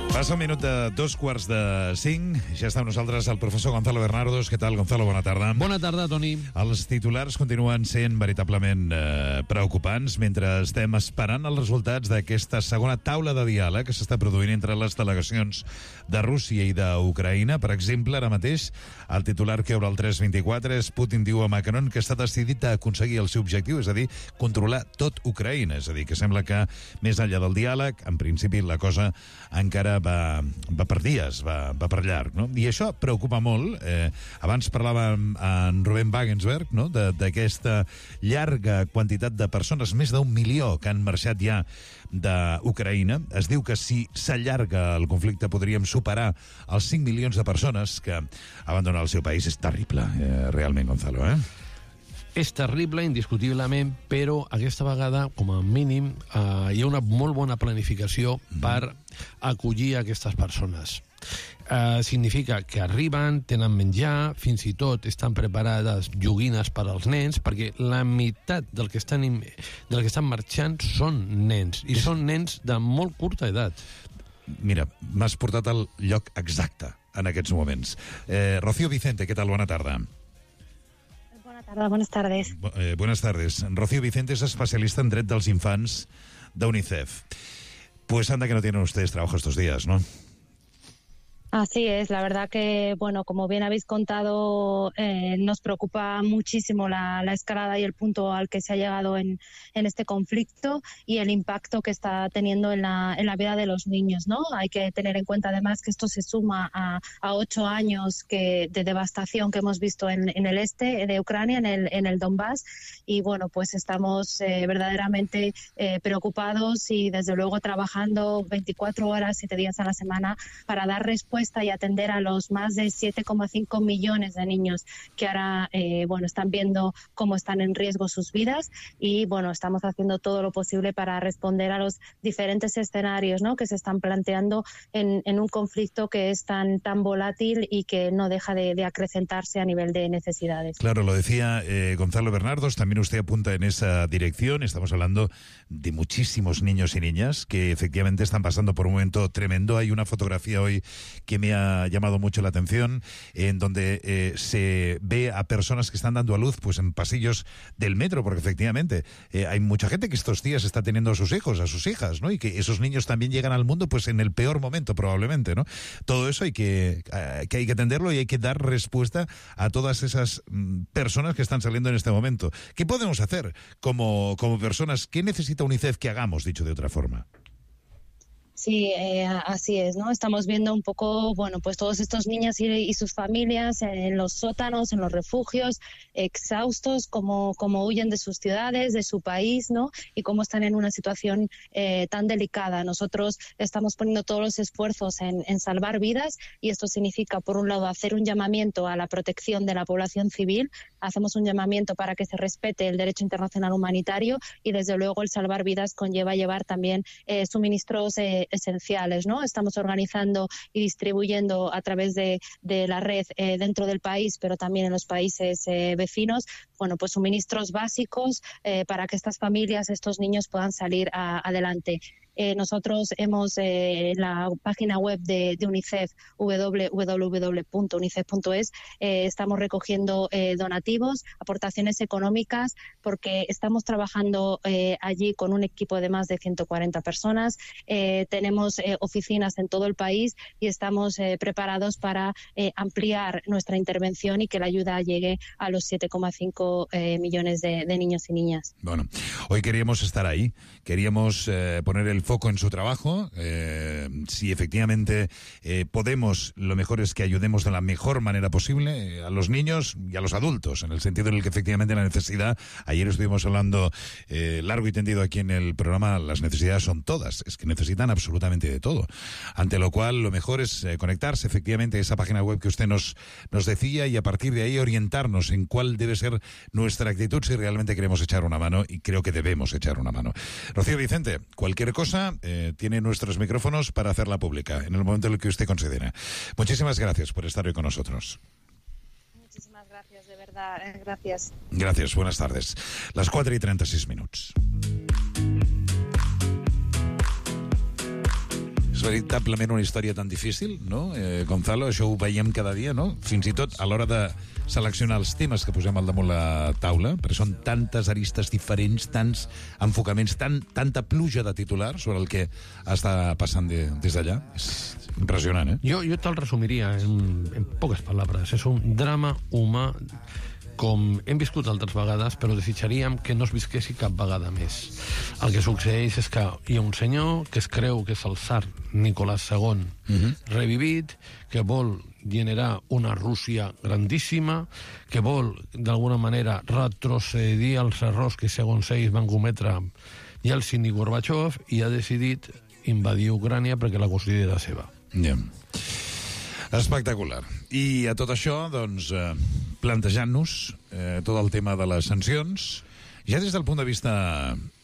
Passa un minut de dos quarts de cinc. Ja està amb nosaltres el professor Gonzalo Bernardos. Què tal, Gonzalo? Bona tarda. Bona tarda, Toni. Els titulars continuen sent veritablement eh, preocupants mentre estem esperant els resultats d'aquesta segona taula de diàleg que s'està produint entre les delegacions de Rússia i d'Ucraïna. Per exemple, ara mateix, el titular que obre el tres vint-i-quatre és Putin diu a Macron que està decidit a aconseguir el seu objectiu, és a dir, controlar tot Ucraïna. És a dir, que sembla que més enllà del diàleg, en principi la cosa encara va, va per dies, va, va per llarg, no? I això preocupa molt. Eh, abans parlàvem amb Rubén Wagensberg, no?, d'aquesta llarga quantitat de persones, més d'un milió que han marxat ja d'Ucraïna. Es diu que si s'allarga el conflicte podríem superar els cinc milions de persones que abandonen el seu país. És terrible, eh, realment, Gonzalo, eh? És terrible, indiscutiblement, però aquesta vegada, com a mínim, eh, hi ha una molt bona planificació per acollir aquestes persones. Eh, significa que arriben, tenen menjar, fins i tot estan preparades joguines per als nens, perquè la meitat del que estan, del que estan marxant són nens, i són nens de molt curta edat. Mira, m'has portat al lloc exacte en aquests moments. Eh, Rocío Vicente, què tal? Bona tarda. Buenas tardes, buenas tardes. Eh, buenas tardes. Rocío Vicente es especialista en dret dels infants de UNICEF. Pues anda que no tienen ustedes trabajo estos días, ¿no? Así es, la verdad que, bueno, como bien habéis contado, eh, nos preocupa muchísimo la, la escalada y el punto al que se ha llegado en, en este conflicto y el impacto que está teniendo en la, en la vida de los niños, ¿no? Hay que tener en cuenta además que esto se suma a, a ocho años que, de devastación que hemos visto en, en el este de Ucrania, en el, en el Donbass, y bueno, pues estamos eh, verdaderamente eh, preocupados y desde luego trabajando veinticuatro horas, siete días a la semana para dar respuesta y atender a los más de siete coma cinco millones de niños que ahora eh, bueno, están viendo cómo están en riesgo sus vidas, y bueno, estamos haciendo todo lo posible para responder a los diferentes escenarios, ¿no?, que se están planteando en, en un conflicto que es tan, tan volátil y que no deja de, de acrecentarse a nivel de necesidades. Claro, lo decía eh, Gonzalo Bernardos, también usted apunta en esa dirección. Estamos hablando de muchísimos niños y niñas que efectivamente están pasando por un momento tremendo. Hay una fotografía hoy que me ha llamado mucho la atención, en donde eh, se ve a personas que están dando a luz pues en pasillos del metro, porque efectivamente eh, hay mucha gente que estos días está teniendo a sus hijos, a sus hijas, ¿no? Y que esos niños también llegan al mundo pues en el peor momento probablemente, ¿no? Todo eso hay que, eh, que hay que atenderlo y hay que dar respuesta a todas esas mm, personas que están saliendo en este momento. ¿Qué podemos hacer como, como personas? ¿Qué necesita UNICEF que hagamos, dicho de otra forma? Sí, eh, así es, ¿no? Estamos viendo un poco, bueno, pues todos estos niños y, y sus familias en los sótanos, en los refugios, exhaustos, cómo, cómo huyen de sus ciudades, de su país, ¿no? Y cómo están en una situación eh, tan delicada. Nosotros estamos poniendo todos los esfuerzos en, en salvar vidas y esto significa, por un lado, hacer un llamamiento a la protección de la población civil, hacemos un llamamiento para que se respete el derecho internacional humanitario y, desde luego, el salvar vidas conlleva llevar también eh, suministros eh, esenciales, ¿no? Estamos organizando y distribuyendo a través de, de la red eh, dentro del país, pero también en los países eh, vecinos, bueno, pues suministros básicos eh, para que estas familias, estos niños puedan salir a, adelante. Eh, nosotros hemos, eh, en la página web de, de UNICEF, doble u doble u doble u punto unicef punto es, eh, estamos recogiendo eh, donativos, aportaciones económicas, porque estamos trabajando eh, allí con un equipo de más de ciento cuarenta personas. Eh, tenemos eh, oficinas en todo el país y estamos eh, preparados para eh, ampliar nuestra intervención y que la ayuda llegue a los siete coma cinco eh, millones de, de niños y niñas. Bueno, hoy queríamos estar ahí, queríamos eh, poner el foco en su trabajo. Eh, si efectivamente eh, podemos, lo mejor es que ayudemos de la mejor manera posible eh, a los niños y a los adultos, en el sentido en el que efectivamente la necesidad, ayer estuvimos hablando eh, largo y tendido aquí en el programa, las necesidades son todas, es que necesitan absolutamente de todo, ante lo cual lo mejor es eh, conectarse efectivamente a esa página web que usted nos, nos decía y a partir de ahí orientarnos en cuál debe ser nuestra actitud si realmente queremos echar una mano, y creo que debemos echar una mano. Rocío Vicente, cualquier cosa Eh, tiene nuestros micrófonos para hacerla pública en el momento en el que usted considera. Muchísimas gracias por estar hoy con nosotros. Muchísimas gracias, de verdad, eh, gracias. Gracias, buenas tardes. Las quatre i trenta-sis minuts. És veritablement una història tan difícil, no, eh, Gonzalo? Això ho veiem cada dia, no? Fins i tot a l'hora de seleccionar els temes que posem al damunt la taula, perquè són tantes aristes diferents, tants enfocaments, tan, tanta pluja de titulars sobre el que està passant de, des d'allà. És impressionant, eh? Yo, yo te lo resumiría en, en pocas palabras. Es un drama humà com hem viscut altres vegades, però desitjaríem que no es visquessi cap vegada més. El que succeeix és que hi ha un senyor que es creu que és el tsar Nicolás segon uh-huh. revivit, que vol generar una Rússia grandíssima, que vol, d'alguna manera, retrocedir als errors que, segons ells, van cometre Yeltsin i Gorbachev, i ha decidit invadir Ucrània perquè la considera seva. Ja. Yeah. Espectacular. I a tot això, doncs, eh, plantejant-nos eh, tot el tema de les sancions, ja des del punt de vista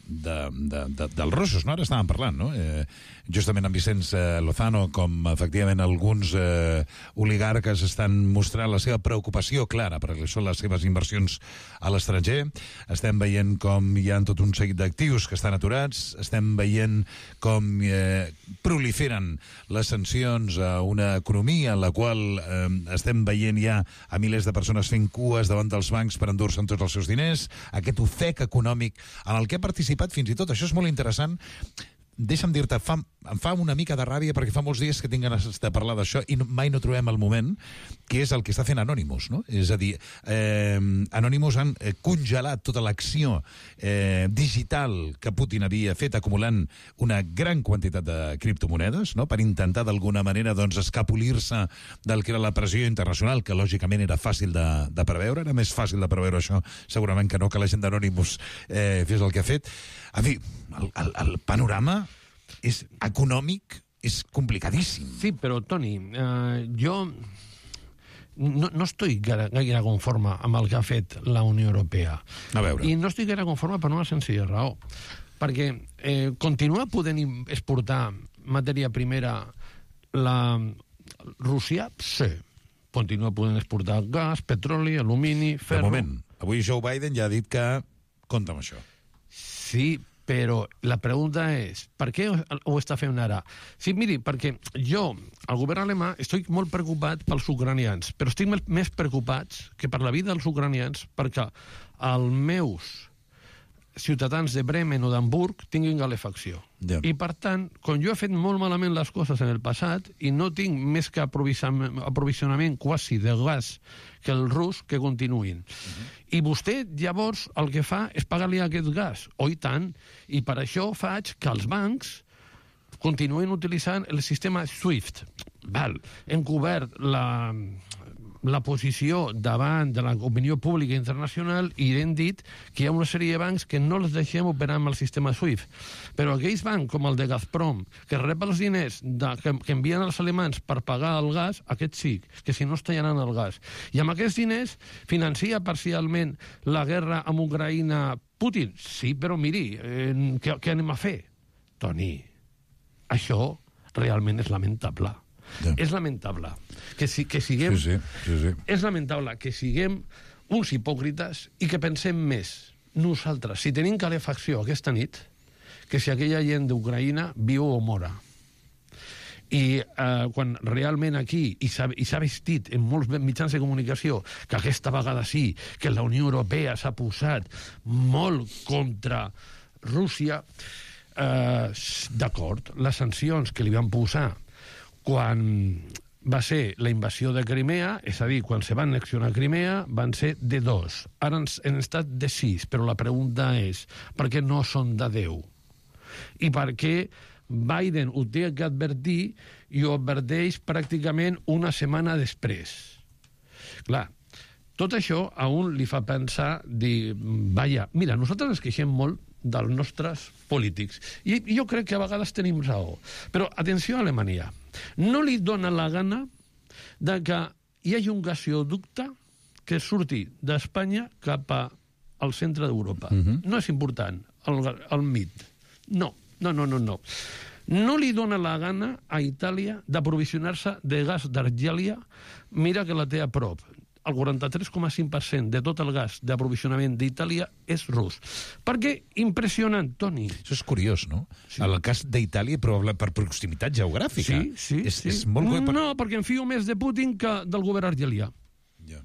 de, de, de, dels russos, no? Ara estàvem parlant, no? Eh, justament amb Vicenç eh, Lozano, com efectivament alguns eh, oligarques estan mostrant la seva preocupació clara per són les seves inversions a l'estranger. Estem veient com hi ha tot un seguit d'actius que estan aturats, estem veient com eh, proliferen les sancions a una economia en la qual eh, estem veient ja a milers de persones fent cues davant dels bancs per endur-se'n tots els seus diners, aquest ofec econòmic en el que ha participat fins i tot, això és molt interessant. Deixa'm dir-te, fa, em fa una mica de ràbia perquè fa molts dies que tinc ganes de parlar d'això i no, mai no trobem el moment, que és el que està fent Anonymous, no? És a dir, eh, Anonymous han eh, congelat tota l'acció eh, digital que Putin havia fet, acumulant una gran quantitat de criptomonedes, no? Per intentar d'alguna manera doncs, escapolir-se del que era la pressió internacional, que lògicament era fàcil de, de preveure, era més fàcil de preveure això segurament que no que la gent d'Anonymous eh, fes el que ha fet. En fi, el, el, el panorama és econòmic, és complicadíssim. Sí, però, Toni, eh, jo no, no estic gaire, gaire conforme amb el que ha fet la Unió Europea. A veure. I no estic gaire conforme per una senzilla raó. Perquè eh, continua podent exportar matèria primera la Rússia? Sí. Continua podent exportar gas, petroli, alumini, ferro... De moment, avui Joe Biden ja ha dit que compta amb això. Sí, però la pregunta és, per què ho està fent ara? Sí, miri, perquè jo, el govern alemà, estic molt preocupat pels ucranians, però estic més preocupats que per la vida dels ucranians, perquè els meus ciutadans de Bremen o d'Hamburg tinguin calefacció. Yeah. I, per tant, com jo he fet molt malament les coses en el passat i no tinc més que aprovisionament quasi de gas que el rus, que continuïn. Uh-huh. I vostè, llavors, el que fa és pagar-li aquest gas. Oh, i tant. I per això faig que els bancs continuen utilitzant el sistema SWIFT. Val. Hem cobert la, la posició davant de l'opinió pública internacional i hem dit que hi ha una sèrie de bancs que no els deixem operar amb el sistema SWIFT. Però aquells bancs, com el de Gazprom, que rep els diners de, que, que envien els alemans per pagar el gas, aquests sí, que si no es tallaran el gas. I amb aquests diners financia parcialment la guerra amb Ucraïna Putin? Sí, però miri, eh, què, què anem a fer? Toni, això realment és lamentable. Ja. És lamentable que, si, que siguem... Sí, sí, sí, sí. És lamentable que siguem uns hipòcrites i que pensem més nosaltres, si tenim calefacció aquesta nit, que si aquella gent d'Ucraïna viu o mora. I eh, quan realment aquí, i s'ha vestit en molts mitjans de comunicació, que aquesta vegada sí, que la Unió Europea s'ha posat molt contra Rússia, eh, d'acord, les sancions que li van posar quan va ser la invasió de Crimea, és a dir, quan se va annexionar Crimea, van ser de dos. Ara han estat de sis, però la pregunta és, per què no són de deu? I per què Biden ho té que advertir i ho adverteix pràcticament una setmana després? Clar, tot això a un li fa pensar, dir, vaja, mira, nosaltres ens queixem molt dels nostres polítics. I jo crec que a vegades tenim raó. Però, atenció a Alemanya, no li dona la gana de que hi hagi un gasoducte que surti d'Espanya cap al centre d'Europa. Uh-huh. No és important, el, el M I D. No, no, no, no, no. No li dona la gana a Itàlia d'aprovisionar-se de gas d'Argèlia, mira que la té a prop. El quaranta-tres coma cinc per cent de tot el gas d'aprovisionament d'Itàlia és rus. Per què? Impressionant, Toni. Això és curiós, no? Sí. El cas d'Itàlia, però per proximitat geogràfica. Sí, sí. És, sí. és molt... No, per... perquè em fio més de Putin que del govern argelià. Ja.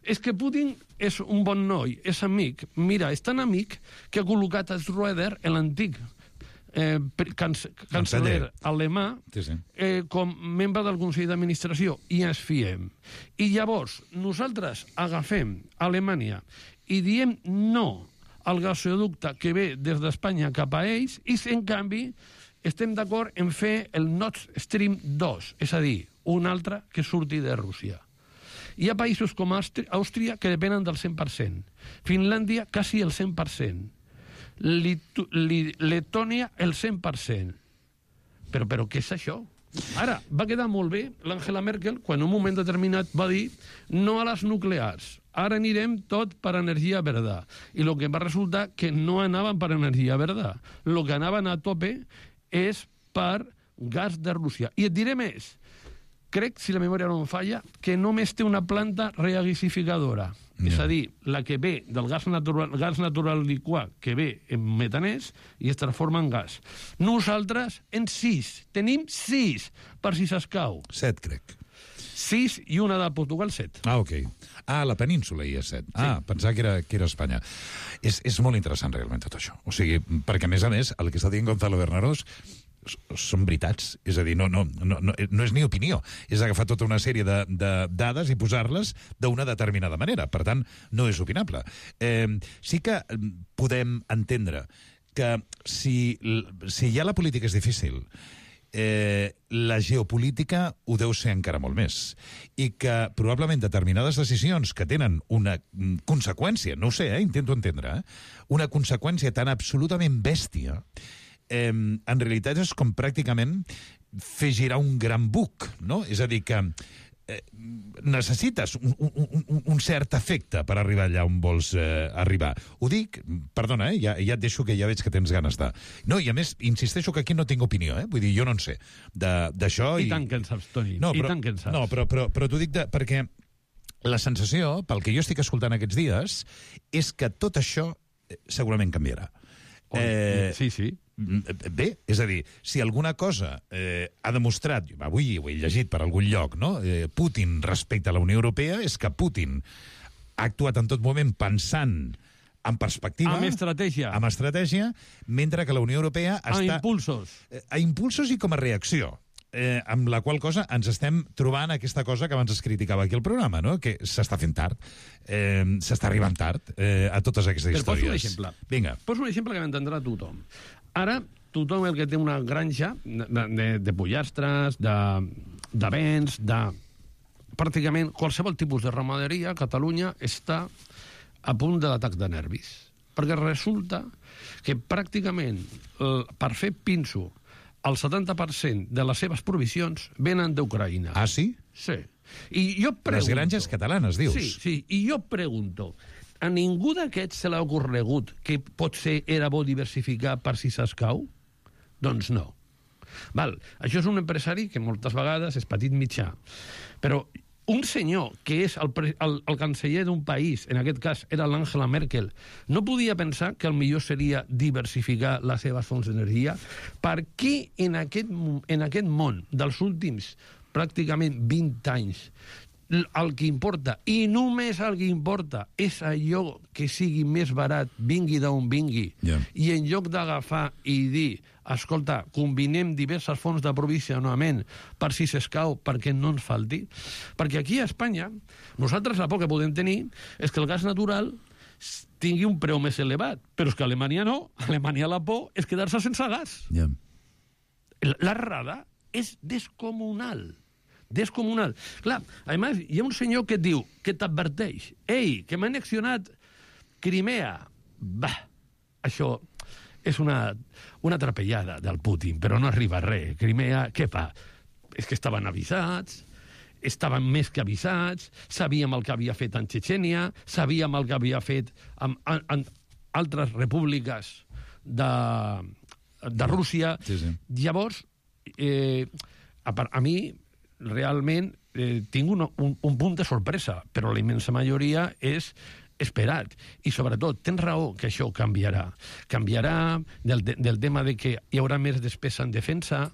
És que Putin és un bon noi, és amic. Mira, és tan amic que ha col·locat a Schröder, l'antic eh, canceller alemà, sí, sí. Eh, com membre del Consell d'Administració, i ens fiem. I llavors, nosaltres agafem Alemanya i diem no al gasoducte que ve des d'Espanya cap a ells, i en canvi estem d'acord en fer el Nord Stream dos, és a dir, un altre que surti de Rússia. Hi ha països com Àustria que depenen del cent per cent, Finlàndia quasi el cent per cent, Letònia el cent per cent. Però, però què és això? Ara, va quedar molt bé l'Angela Merkel quan en un moment determinat va dir no a les nuclears, ara anirem tot per energia verda. I el que va resultar que no anaven per energia verda. El que anaven a tope és per gas de Rússia. I et diré més, crec, si la memòria no em falla, que només té una planta regasificadora. Yeah. És a dir, la que ve del gas natural, gas natural liquat, que ve en metanès i es transforma en gas. Nosaltres, en sis. Tenim sis, per si s'escau. Set, crec. Sis i una de Portugal, set. Ah, ok. Ah, la península hi ha set. Ah, sí. Pensava que era, que era Espanya. És, és molt interessant, realment, tot això. O sigui, perquè, a més a més, el que està dient Gonzalo Bernarós són veritats, és a dir, no, no, no, no, no és ni opinió, és agafar tota una sèrie de, de dades i posar-les d'una determinada manera, per tant, no és opinable. Eh, sí que podem entendre que si, si ja la política és difícil, eh, la geopolítica ho deu ser encara molt més, i que probablement determinades decisions que tenen una conseqüència, no ho sé, eh, intento entendre, eh, una conseqüència tan absolutament bèstia, Eh, en realitat és com pràcticament fer girar un gran buc, no? És a dir, que eh, necessites un, un, un, un cert efecte per arribar allà on vols eh, arribar. Ho dic, perdona, eh, ja, ja et deixo que ja veig que tens ganes de... No, i a més, insisteixo que aquí no tinc opinió, eh? Vull dir, jo no en sé d'això... I, I tant que en saps, Toni, no, però, i tant que en saps. No, però, però, però t'ho dic de, perquè la sensació, pel que jo estic escoltant aquests dies, és que tot això segurament canviarà. Oh, eh, sí, sí. Bé, és a dir, si alguna cosa eh, ha demostrat, avui ho he llegit per algun lloc, no? eh, Putin respecte a la Unió Europea, és que Putin ha actuat en tot moment pensant en perspectiva... Amb estratègia. Amb estratègia, mentre que la Unió Europea està... A impulsos. Eh, a impulsos i com a reacció. Eh, amb la qual cosa ens estem trobant aquesta cosa que abans es criticava aquí al programa, no? Que s'està fent tard, eh, s'està arribant tard eh, a totes aquestes Però històries. Poso un exemple. Vinga. Poso un exemple que m'entendrà tothom. Ara, tothom el que té una granja de, de, de pollastres, de, de vents, de... pràcticament qualsevol tipus de ramaderia a Catalunya està a punt de l'atac de nervis. Perquè resulta que pràcticament eh, per fer pinso el setanta per cent de les seves provisions venen d'Ucraïna. Ah, sí? Sí. I jo pregunto... Les granges catalanes, dius? Sí, sí. I jo pregunto, a ningú d'aquests se l'ha ocorregut que potser era bo diversificar per si s'escau? Doncs no. Val. Això és un empresari que moltes vegades és petit mitjà. Però un senyor que és el, el, el canceller d'un país, en aquest cas era l'Angela Merkel, no podia pensar que el millor seria diversificar les seves fonts d'energia? Per què en aquest, en aquest món dels últims pràcticament vint anys el que importa, i només el que importa, és allò que sigui més barat, vingui d'on vingui, yeah. i en lloc d'agafar i dir, escolta, combinem diverses fonts d'aprovisionament per si s'escau, perquè no ens falti, perquè aquí a Espanya, nosaltres la por que podem tenir és que el gas natural tingui un preu més elevat, però és que a Alemanya no, a Alemanya la por és quedar-se sense gas. Yeah. L'errada és descomunal. Descomunal. Clar, a més, hi ha un senyor que et diu, que t'adverteix, ei, que m'ha annexionat Crimea. Bah, això és una, una trapellada del Putin, però no arriba a res. Crimea, què fa? És que estaven avisats, estaven més que avisats, sabíem el que havia fet en Txetxènia, sabíem el que havia fet en, en, en altres repúbliques de, de Rússia. Sí, sí. Llavors, eh, a, a mi... realment eh, tinc un, un, un punt de sorpresa, però la immensa majoria és esperat. I sobretot, tens raó que això canviarà. Canviarà del, del tema de que hi haurà més despesa en defensa,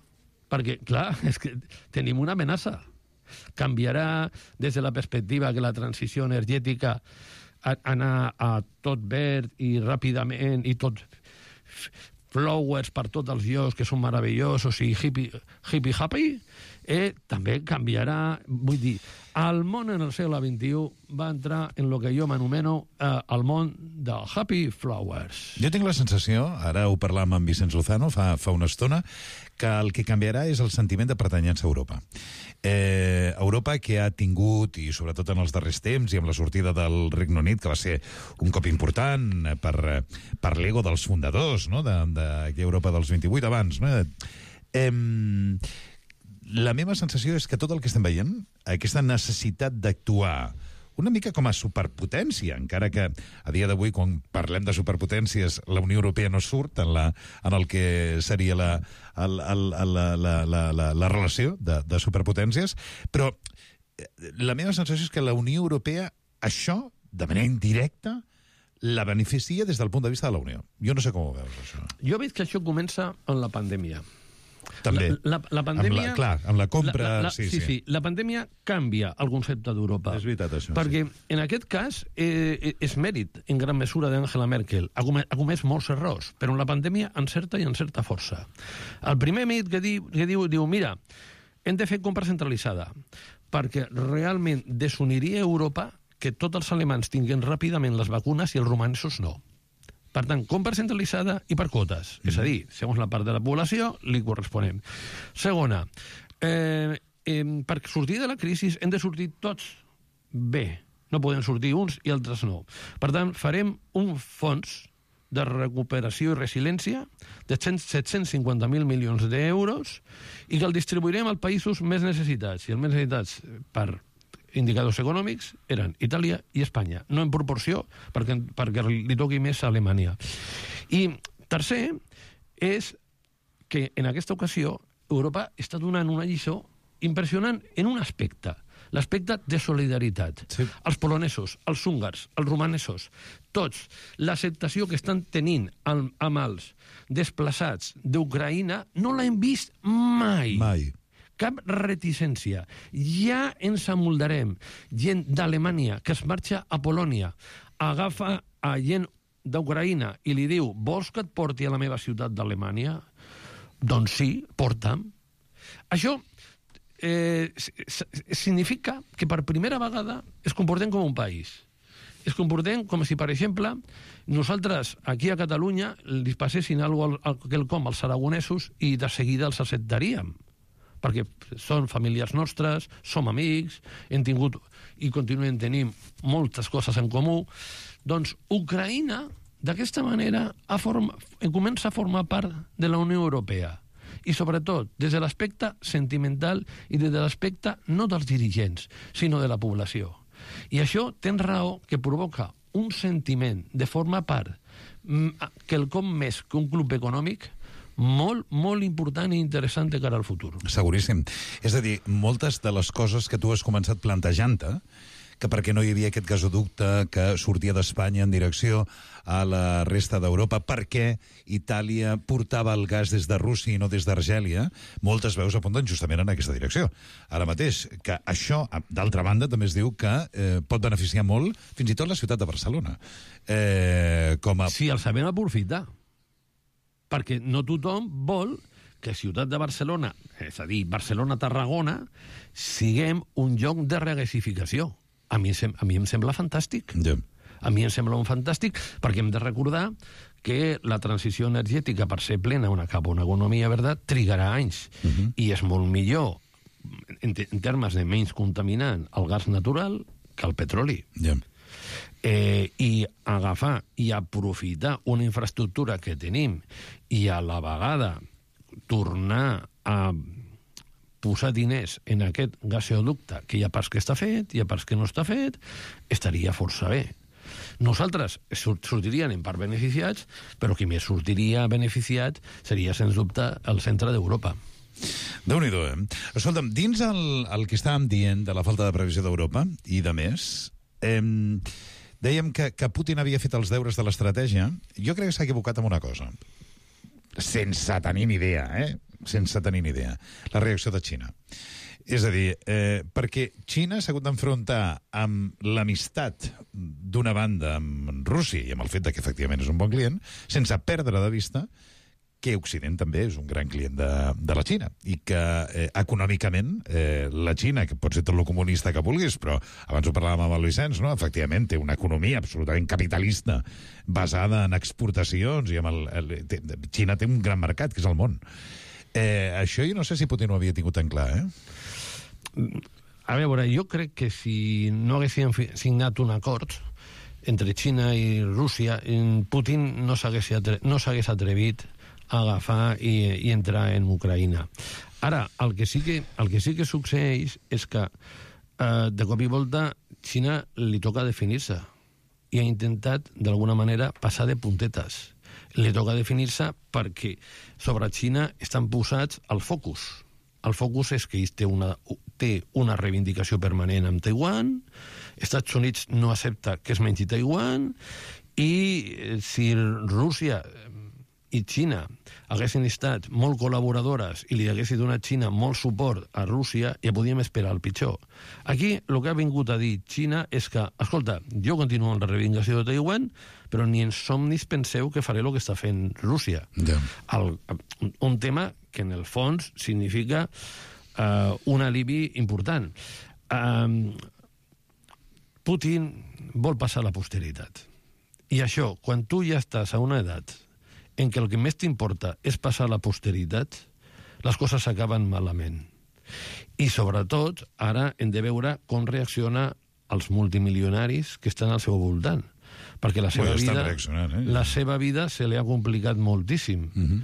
perquè, clar, és que tenim una amenaça. Canviarà des de la perspectiva que la transició energètica a, anar a tot verd i ràpidament i tot flowers per tots els llocs que són meravellosos i hippie, hippie happy, eh, també canviarà. Vull dir, el món en el segle vint-i-u va entrar en el que jo m'anomeno eh, el món del happy flowers. Jo tinc la sensació, ara ho parlàvem amb Vicenç Lozano fa, fa una estona, que el que canviarà és el sentiment de pertanyença a Europa. Eh, Europa que ha tingut, i sobretot en els darrers temps, i amb la sortida del Regne Unit, que va ser un cop important per, per l'ego dels fundadors, no?, d'aquella Europa dels vint-i-vuit abans, no? Eh, la meva sensació és que tot el que estem veient, aquesta necessitat d'actuar una mica com a superpotència, encara que a dia d'avui, quan parlem de superpotències, la Unió Europea no surt en, la, en el que seria la, el, el, la, la, la, la, la relació de, de superpotències, però la meva sensació és que la Unió Europea, això, de manera indirecta, la beneficia des del punt de vista de la Unió. Jo no sé com ho veus, això. Jo veig que això comença amb la pandèmia. També. La, la, la pandèmia... Amb la, clar, amb la compra... La, la, la, sí, sí, sí, sí. La pandèmia canvia el concepte d'Europa. És veritat, això. Perquè, sí. en aquest cas, eh, és mèrit, en gran mesura, d'Angela Merkel. Ha comès, ha comès molts errors, però en la pandèmia encerta i encerta força. El primer mèrit que diu, que diu, diu, mira, hem de fer compra centralitzada, perquè realment desuniria Europa que tots els alemans tinguin ràpidament les vacunes i els romansos no. Per tant, compra centralitzada i per quotes. Mm. És a dir, segons la part de la població, li corresponem. Segona, eh, eh, per sortir de la crisi hem de sortir tots bé. No podem sortir uns i altres no. Per tant, farem un fons de recuperació i resiliència de set-cents cinquanta mil milions d'euros i que el distribuirem als països més necessitats. I els més necessitats per indicadors econòmics eren Itàlia i Espanya, no en proporció perquè, perquè li toqui més a Alemanya. I tercer és que en aquesta ocasió Europa està donant una lliçó impressionant en un aspecte, l'aspecte de solidaritat. Sí. Els polonesos, els húngars, els romanesos, tots, l'acceptació que estan tenint amb, amb els desplaçats d'Ucraïna no l'hem vist mai. Mai. Cap reticència. Ja ens amoldarem. Gent d'Alemanya que es marxa a Polònia, agafa a gent d'Ucraïna i li diu, vols que et porti a la meva ciutat d'Alemanya? Doncs sí, porta'm. Això eh, significa que per primera vegada es comportem com un país. es comportem com si, per exemple, nosaltres aquí a Catalunya li passessin alguna cosa quelcom als aragonesos i de seguida els acceptaríem, perquè són famílies nostres, som amics, hem tingut i continuem tenint moltes coses en comú. Doncs Ucraïna, d'aquesta manera, ha form... comença a formar part de la Unió Europea. I sobretot des de l'aspecte sentimental i des de l'aspecte no dels dirigents, sinó de la població. I això tens raó que provoca un sentiment de formar part quelcom més que un club econòmic molt, molt important i interessant de cara al futur. Seguríssim. És a dir, moltes de les coses que tu has començat plantejant-te, que perquè no hi havia aquest gasoducte que sortia d'Espanya en direcció a la resta d'Europa, perquè Itàlia portava el gas des de Rússia i no des d'Argèlia, moltes veus apunten justament en aquesta direcció. Ara mateix, que això, d'altra banda, també es diu que eh, pot beneficiar molt fins i tot la ciutat de Barcelona. Eh, com a... Sí, el sabem aprofitar. Perquè no tothom vol que Ciutat de Barcelona, és a dir, Barcelona-Tarragona, siguem un lloc de regasificació. A mi, a mi em sembla fantàstic. Yeah. A mi em sembla un fantàstic, perquè hem de recordar que la transició energètica, per ser plena una cap a una economia verda, trigarà anys. Uh-huh. I és molt millor, en, en termes de menys contaminant, el gas natural que el petroli. Yeah. Eh, I agafar i aprofitar una infraestructura que tenim i a la vegada tornar a posar diners en aquest gasoducte, que hi ha parts que està fet, hi ha parts que no està fet, estaria força bé. Nosaltres sortiríem en part beneficiats, però qui més sortiria beneficiat seria, sens dubte, el centre d'Europa. Déu-n'hi-do, eh? Escolta'm, dins el, el que estàvem dient de la falta de previsió d'Europa, i de més, eh, dèiem que, que Putin havia fet els deures de l'estratègia. Jo crec que s'ha equivocat amb una cosa. Sense tenir ni idea, eh? Sense tenir ni idea. La reacció de Xina. És a dir, eh, perquè Xina s'ha hagut d'enfrontar amb l'amistat d'una banda amb Rússia i amb el fet que efectivament és un bon client, sense perdre de vista que Occident també és un gran client de, de la Xina i que eh, econòmicament eh, la Xina, que pot ser tot el comunista que vulguis, però abans ho parlàvem amb el Vicenç, no? Efectivament té una economia absolutament capitalista basada en exportacions i amb el, el, té, Xina té un gran mercat, que és el món. Eh, això jo no sé si Putin ho havia tingut tan clar, eh? A veure, jo crec que si no haguessin signat un acord entre Xina i Rússia, Putin no s'hagués atre no s'hagués atrevit a agafar i, i entrar en Ucraïna. Ara, el que sí que, el que, sí que succeeix és que eh, de cop i volta Xina li toca definir-se i ha intentat, d'alguna manera, passar de puntetes. Li toca definir-se perquè sobre Xina estan posats el focus. El focus és que ell té una, té una reivindicació permanent amb Taiwan, Estats Units no accepta que es mengi Taiwan, i si Rússia i Xina haguessin estat molt col·laboradores i li haguessin donat Xina molt suport a Rússia, ja podíem esperar el pitjor. Aquí el que ha vingut a dir Xina és que, escolta, jo continuo amb la reivindicació de Taiwan, però ni en somnis penseu que faré el que està fent Rússia. Yeah. El, un tema que en el fons significa uh, un alibi important. Uh, Putin vol passar a la posteritat. I això, quan tu ja estàs a una edat en què el que més t'importa és passar a la posteritat, les coses s'acaben malament. I, sobretot, ara hem de veure com reacciona els multimilionaris que estan al seu voltant. Perquè la seva, vida, eh? la seva vida se li ha complicat moltíssim. Uh-huh.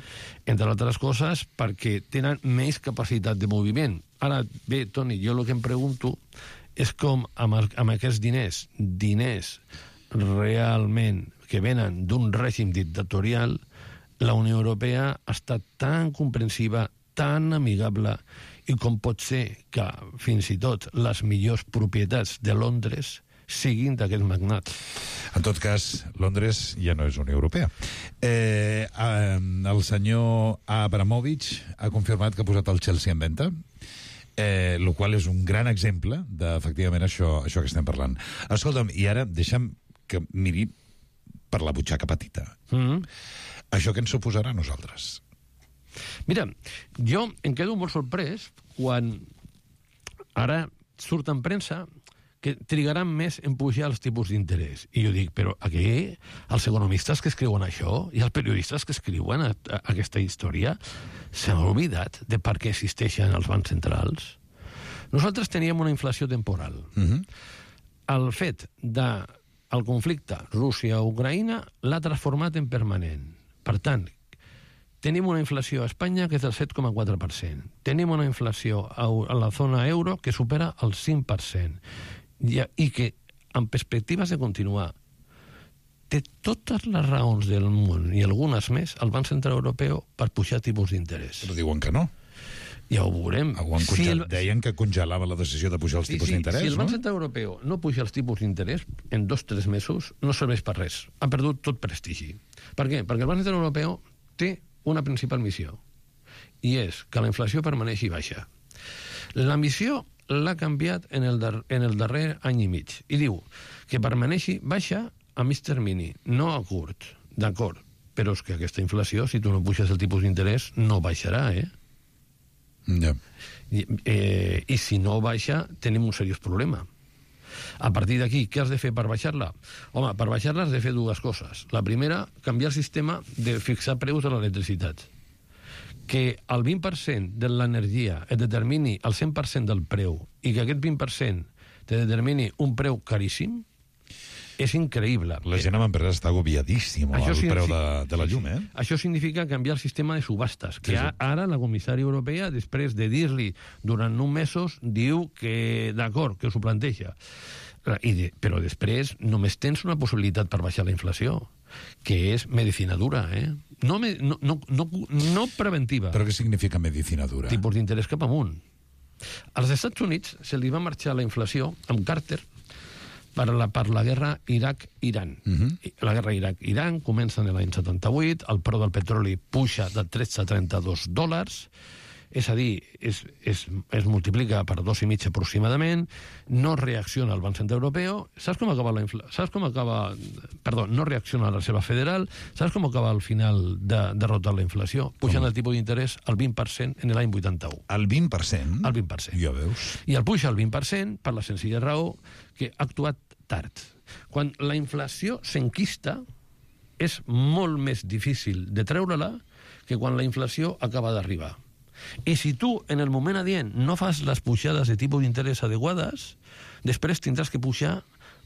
Entre altres coses, perquè tenen més capacitat de moviment. Ara, bé, Toni, jo el que em pregunto és com amb, amb aquests diners, diners realment que venen d'un règim dictatorial, la Unió Europea ha estat tan comprensiva, tan amigable, i com pot ser que fins i tot les millors propietats de Londres siguin d'aquest magnat. En tot cas, Londres ja no és Unió Europea. Eh, eh, el senyor Abramovich ha confirmat que ha posat el Chelsea en venda, eh, el qual és un gran exemple d'efectivament això, això que estem parlant. Escolta'm, i ara deixa'm que miri per la butxaca petita. Mm-hmm. Això què ens suposarà a nosaltres? Mira, jo em quedo molt sorprès quan ara surt en premsa que trigaran més en pujar els tipus d'interès. I jo dic, però aquí els economistes que escriuen això i els periodistes que escriuen a, a, aquesta història s'han oblidat de per què existeixen els bancs centrals. Nosaltres teníem una inflació temporal. Uh-huh. El fet del conflicte Rússia-Ucraïna l'ha transformat en permanent. Per tant, tenim una inflació a Espanya que és del set coma quatre per cent. Tenim una inflació a la zona euro que supera el cinc per cent. I, i que, en perspectives de continuar, té totes les raons del món i algunes més el Banc Central Europeu per pujar tipus d'interès. Però diuen que no. Ja ho veurem. Ho si el... Deien que congelava la decisió de pujar els tipus sí, sí. d'interès, si el Banc no? Central Europeu no puja els tipus d'interès en dos o tres mesos, no serveix per res. Ha perdut tot prestigi. Per què? Perquè el Banc Central Europeu té una principal missió, i és que la inflació permaneixi baixa. La missió l'ha canviat en el, dar en el darrer any i mig, i diu que permaneixi baixa a mig termini, no a curt. D'acord, però és que aquesta inflació, si tu no puixes el tipus d'interès, no baixarà, eh? Ja. I, eh, I si no baixa, tenim un seriós problema. A partir d'aquí, què has de fer per baixar-la? Home, per baixar-la has de fer dues coses. La primera, canviar el sistema de fixar preus de l'electricitat. Que el vint per cent de l'energia et determini el cent per cent del preu i que aquest vint per cent te determini un preu caríssim, és increïble. La gent amb empreses està agobiadíssima al preu de, de la llum, eh? Això significa canviar el sistema de subhastes, que sí, sí. ara la comissària europea, després de dir-li durant uns mesos, diu que, d'acord, que s'ho planteja. I de, però després només tens una possibilitat per baixar la inflació, que és medicina dura, eh? No, no, no, no, no preventiva. Però què significa medicina dura? Tipus d'interès cap amunt. Als Estats Units se li va marxar la inflació amb Carter per la, per la guerra Iraq-Iran. Uh-huh. La guerra Iraq-Iran comença en l'any setanta-vuit, el preu del petroli puja de tretze a trenta-dos dòlars, és a dir, es, es, es multiplica per dos i mig aproximadament, no reacciona el Banc Central Europeu, saps com acaba la inflació? Saps com acaba... Perdó, no reacciona la Reserva Federal, saps com acaba al final de derrotar la inflació? Pujant el tipus d'interès al vint per cent en l'any vuitanta-u. El vint per cent? El vint per cent. Ja veus. I el puja al vint per cent per la senzilla raó que ha actuat tard. Quan la inflació s'enquista, és molt més difícil de treure-la que quan la inflació acaba d'arribar. I si tu, en el moment adient, no fas les pujades de tipus d'interès adequades, després tindràs que pujar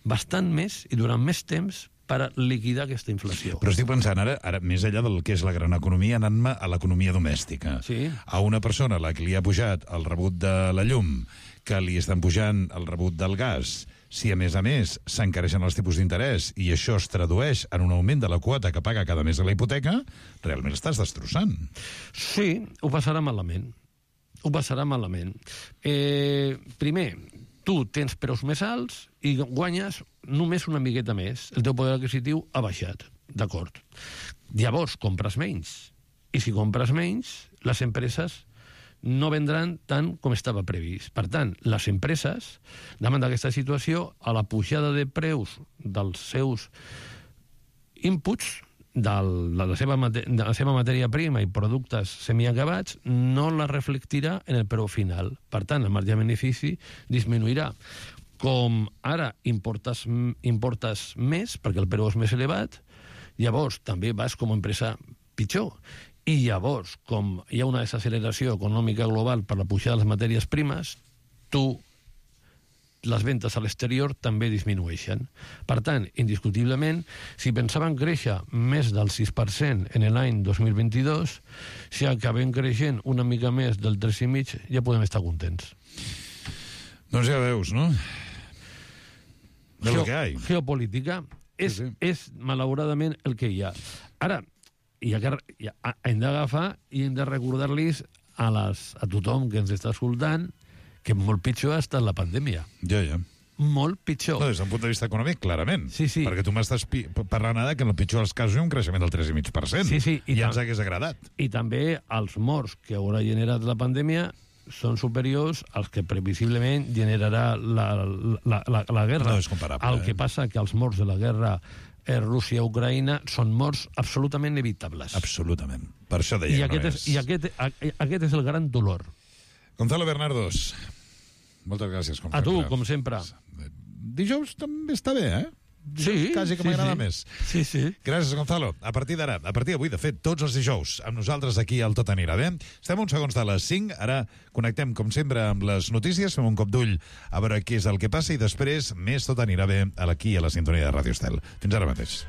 bastant més i durant més temps per liquidar aquesta inflació. Però estic pensant ara, ara més enllà del que és la gran economia, anant-me a l'economia domèstica. Sí. A una persona a la que li ha pujat el rebut de la llum, que li estan pujant el rebut del gas, si a més a més s'encareixen els tipus d'interès i això es tradueix en un augment de la quota que paga cada mes a la hipoteca, realment estàs destrossant. Sí, ho passarà malament. Ho passarà malament. Eh, primer, tu tens preus més alts i guanyes només una miqueta més. El teu poder adquisitiu ha baixat, d'acord. Llavors compres menys. I si compres menys, les empreses no vendran tant com estava previst. Per tant, les empreses, davant d'aquesta situació, a la pujada de preus dels seus inputs, de la, seva, de la seva matèria prima i productes semiacabats, no la reflectirà en el preu final. Per tant, el marge de benefici disminuirà. Com ara importes, importes més, perquè el preu és més elevat, llavors també vas com a empresa pitjor. I llavors, com hi ha una desacceleració econòmica global per la pujada de les matèries primes, tu, les ventes a l'exterior també disminueixen. Per tant, indiscutiblement, si pensaven créixer més del sis per cent en l'any dos mil vint-i-dos, si acabem creixent una mica més del tres coma cinc, ja podem estar contents. Doncs ja veus, no? De Geo lo que hay. Geopolítica és, sí, sí. és malauradament el que hi ha. Ara, i ja, ja, hem d'agafar i hem de recordar-los a, les, a tothom que ens està escoltant que molt pitjor ha estat la pandèmia. Ja, ja. Molt pitjor. No, des d'un punt de vista econòmic, clarament. Sí, sí. Perquè tu m'estàs parlant ara que en el pitjor dels casos hi ha un creixement del tres coma cinc per cent. Sí, sí. I, I ja ens hagués agradat. I també els morts que haurà generat la pandèmia són superiors als que previsiblement generarà la, la, la, la guerra. No és comparable. El eh? que passa que els morts de la guerra Rússia-Ucraïna són morts absolutament evitables. Absolutament. Per això deia I aquest, no és, i aquest, aquest és el gran dolor. Gonzalo Bernardos, moltes gràcies, com a sempre. tu, com sempre. dijous també està bé, eh? Sí, quasi que sí, m'agrada sí. més. Sí, sí. Gràcies, Gonzalo. A partir d'ara, a partir d'avui, de fet, tots els dijous, amb nosaltres aquí al Tot Anirà Bé. Estem uns segons de les cinc, ara connectem, com sempre, amb les notícies, fem un cop d'ull a veure què és el que passa i després més Tot Anirà Bé aquí a la sintonia de Ràdio Estel. Fins ara mateix.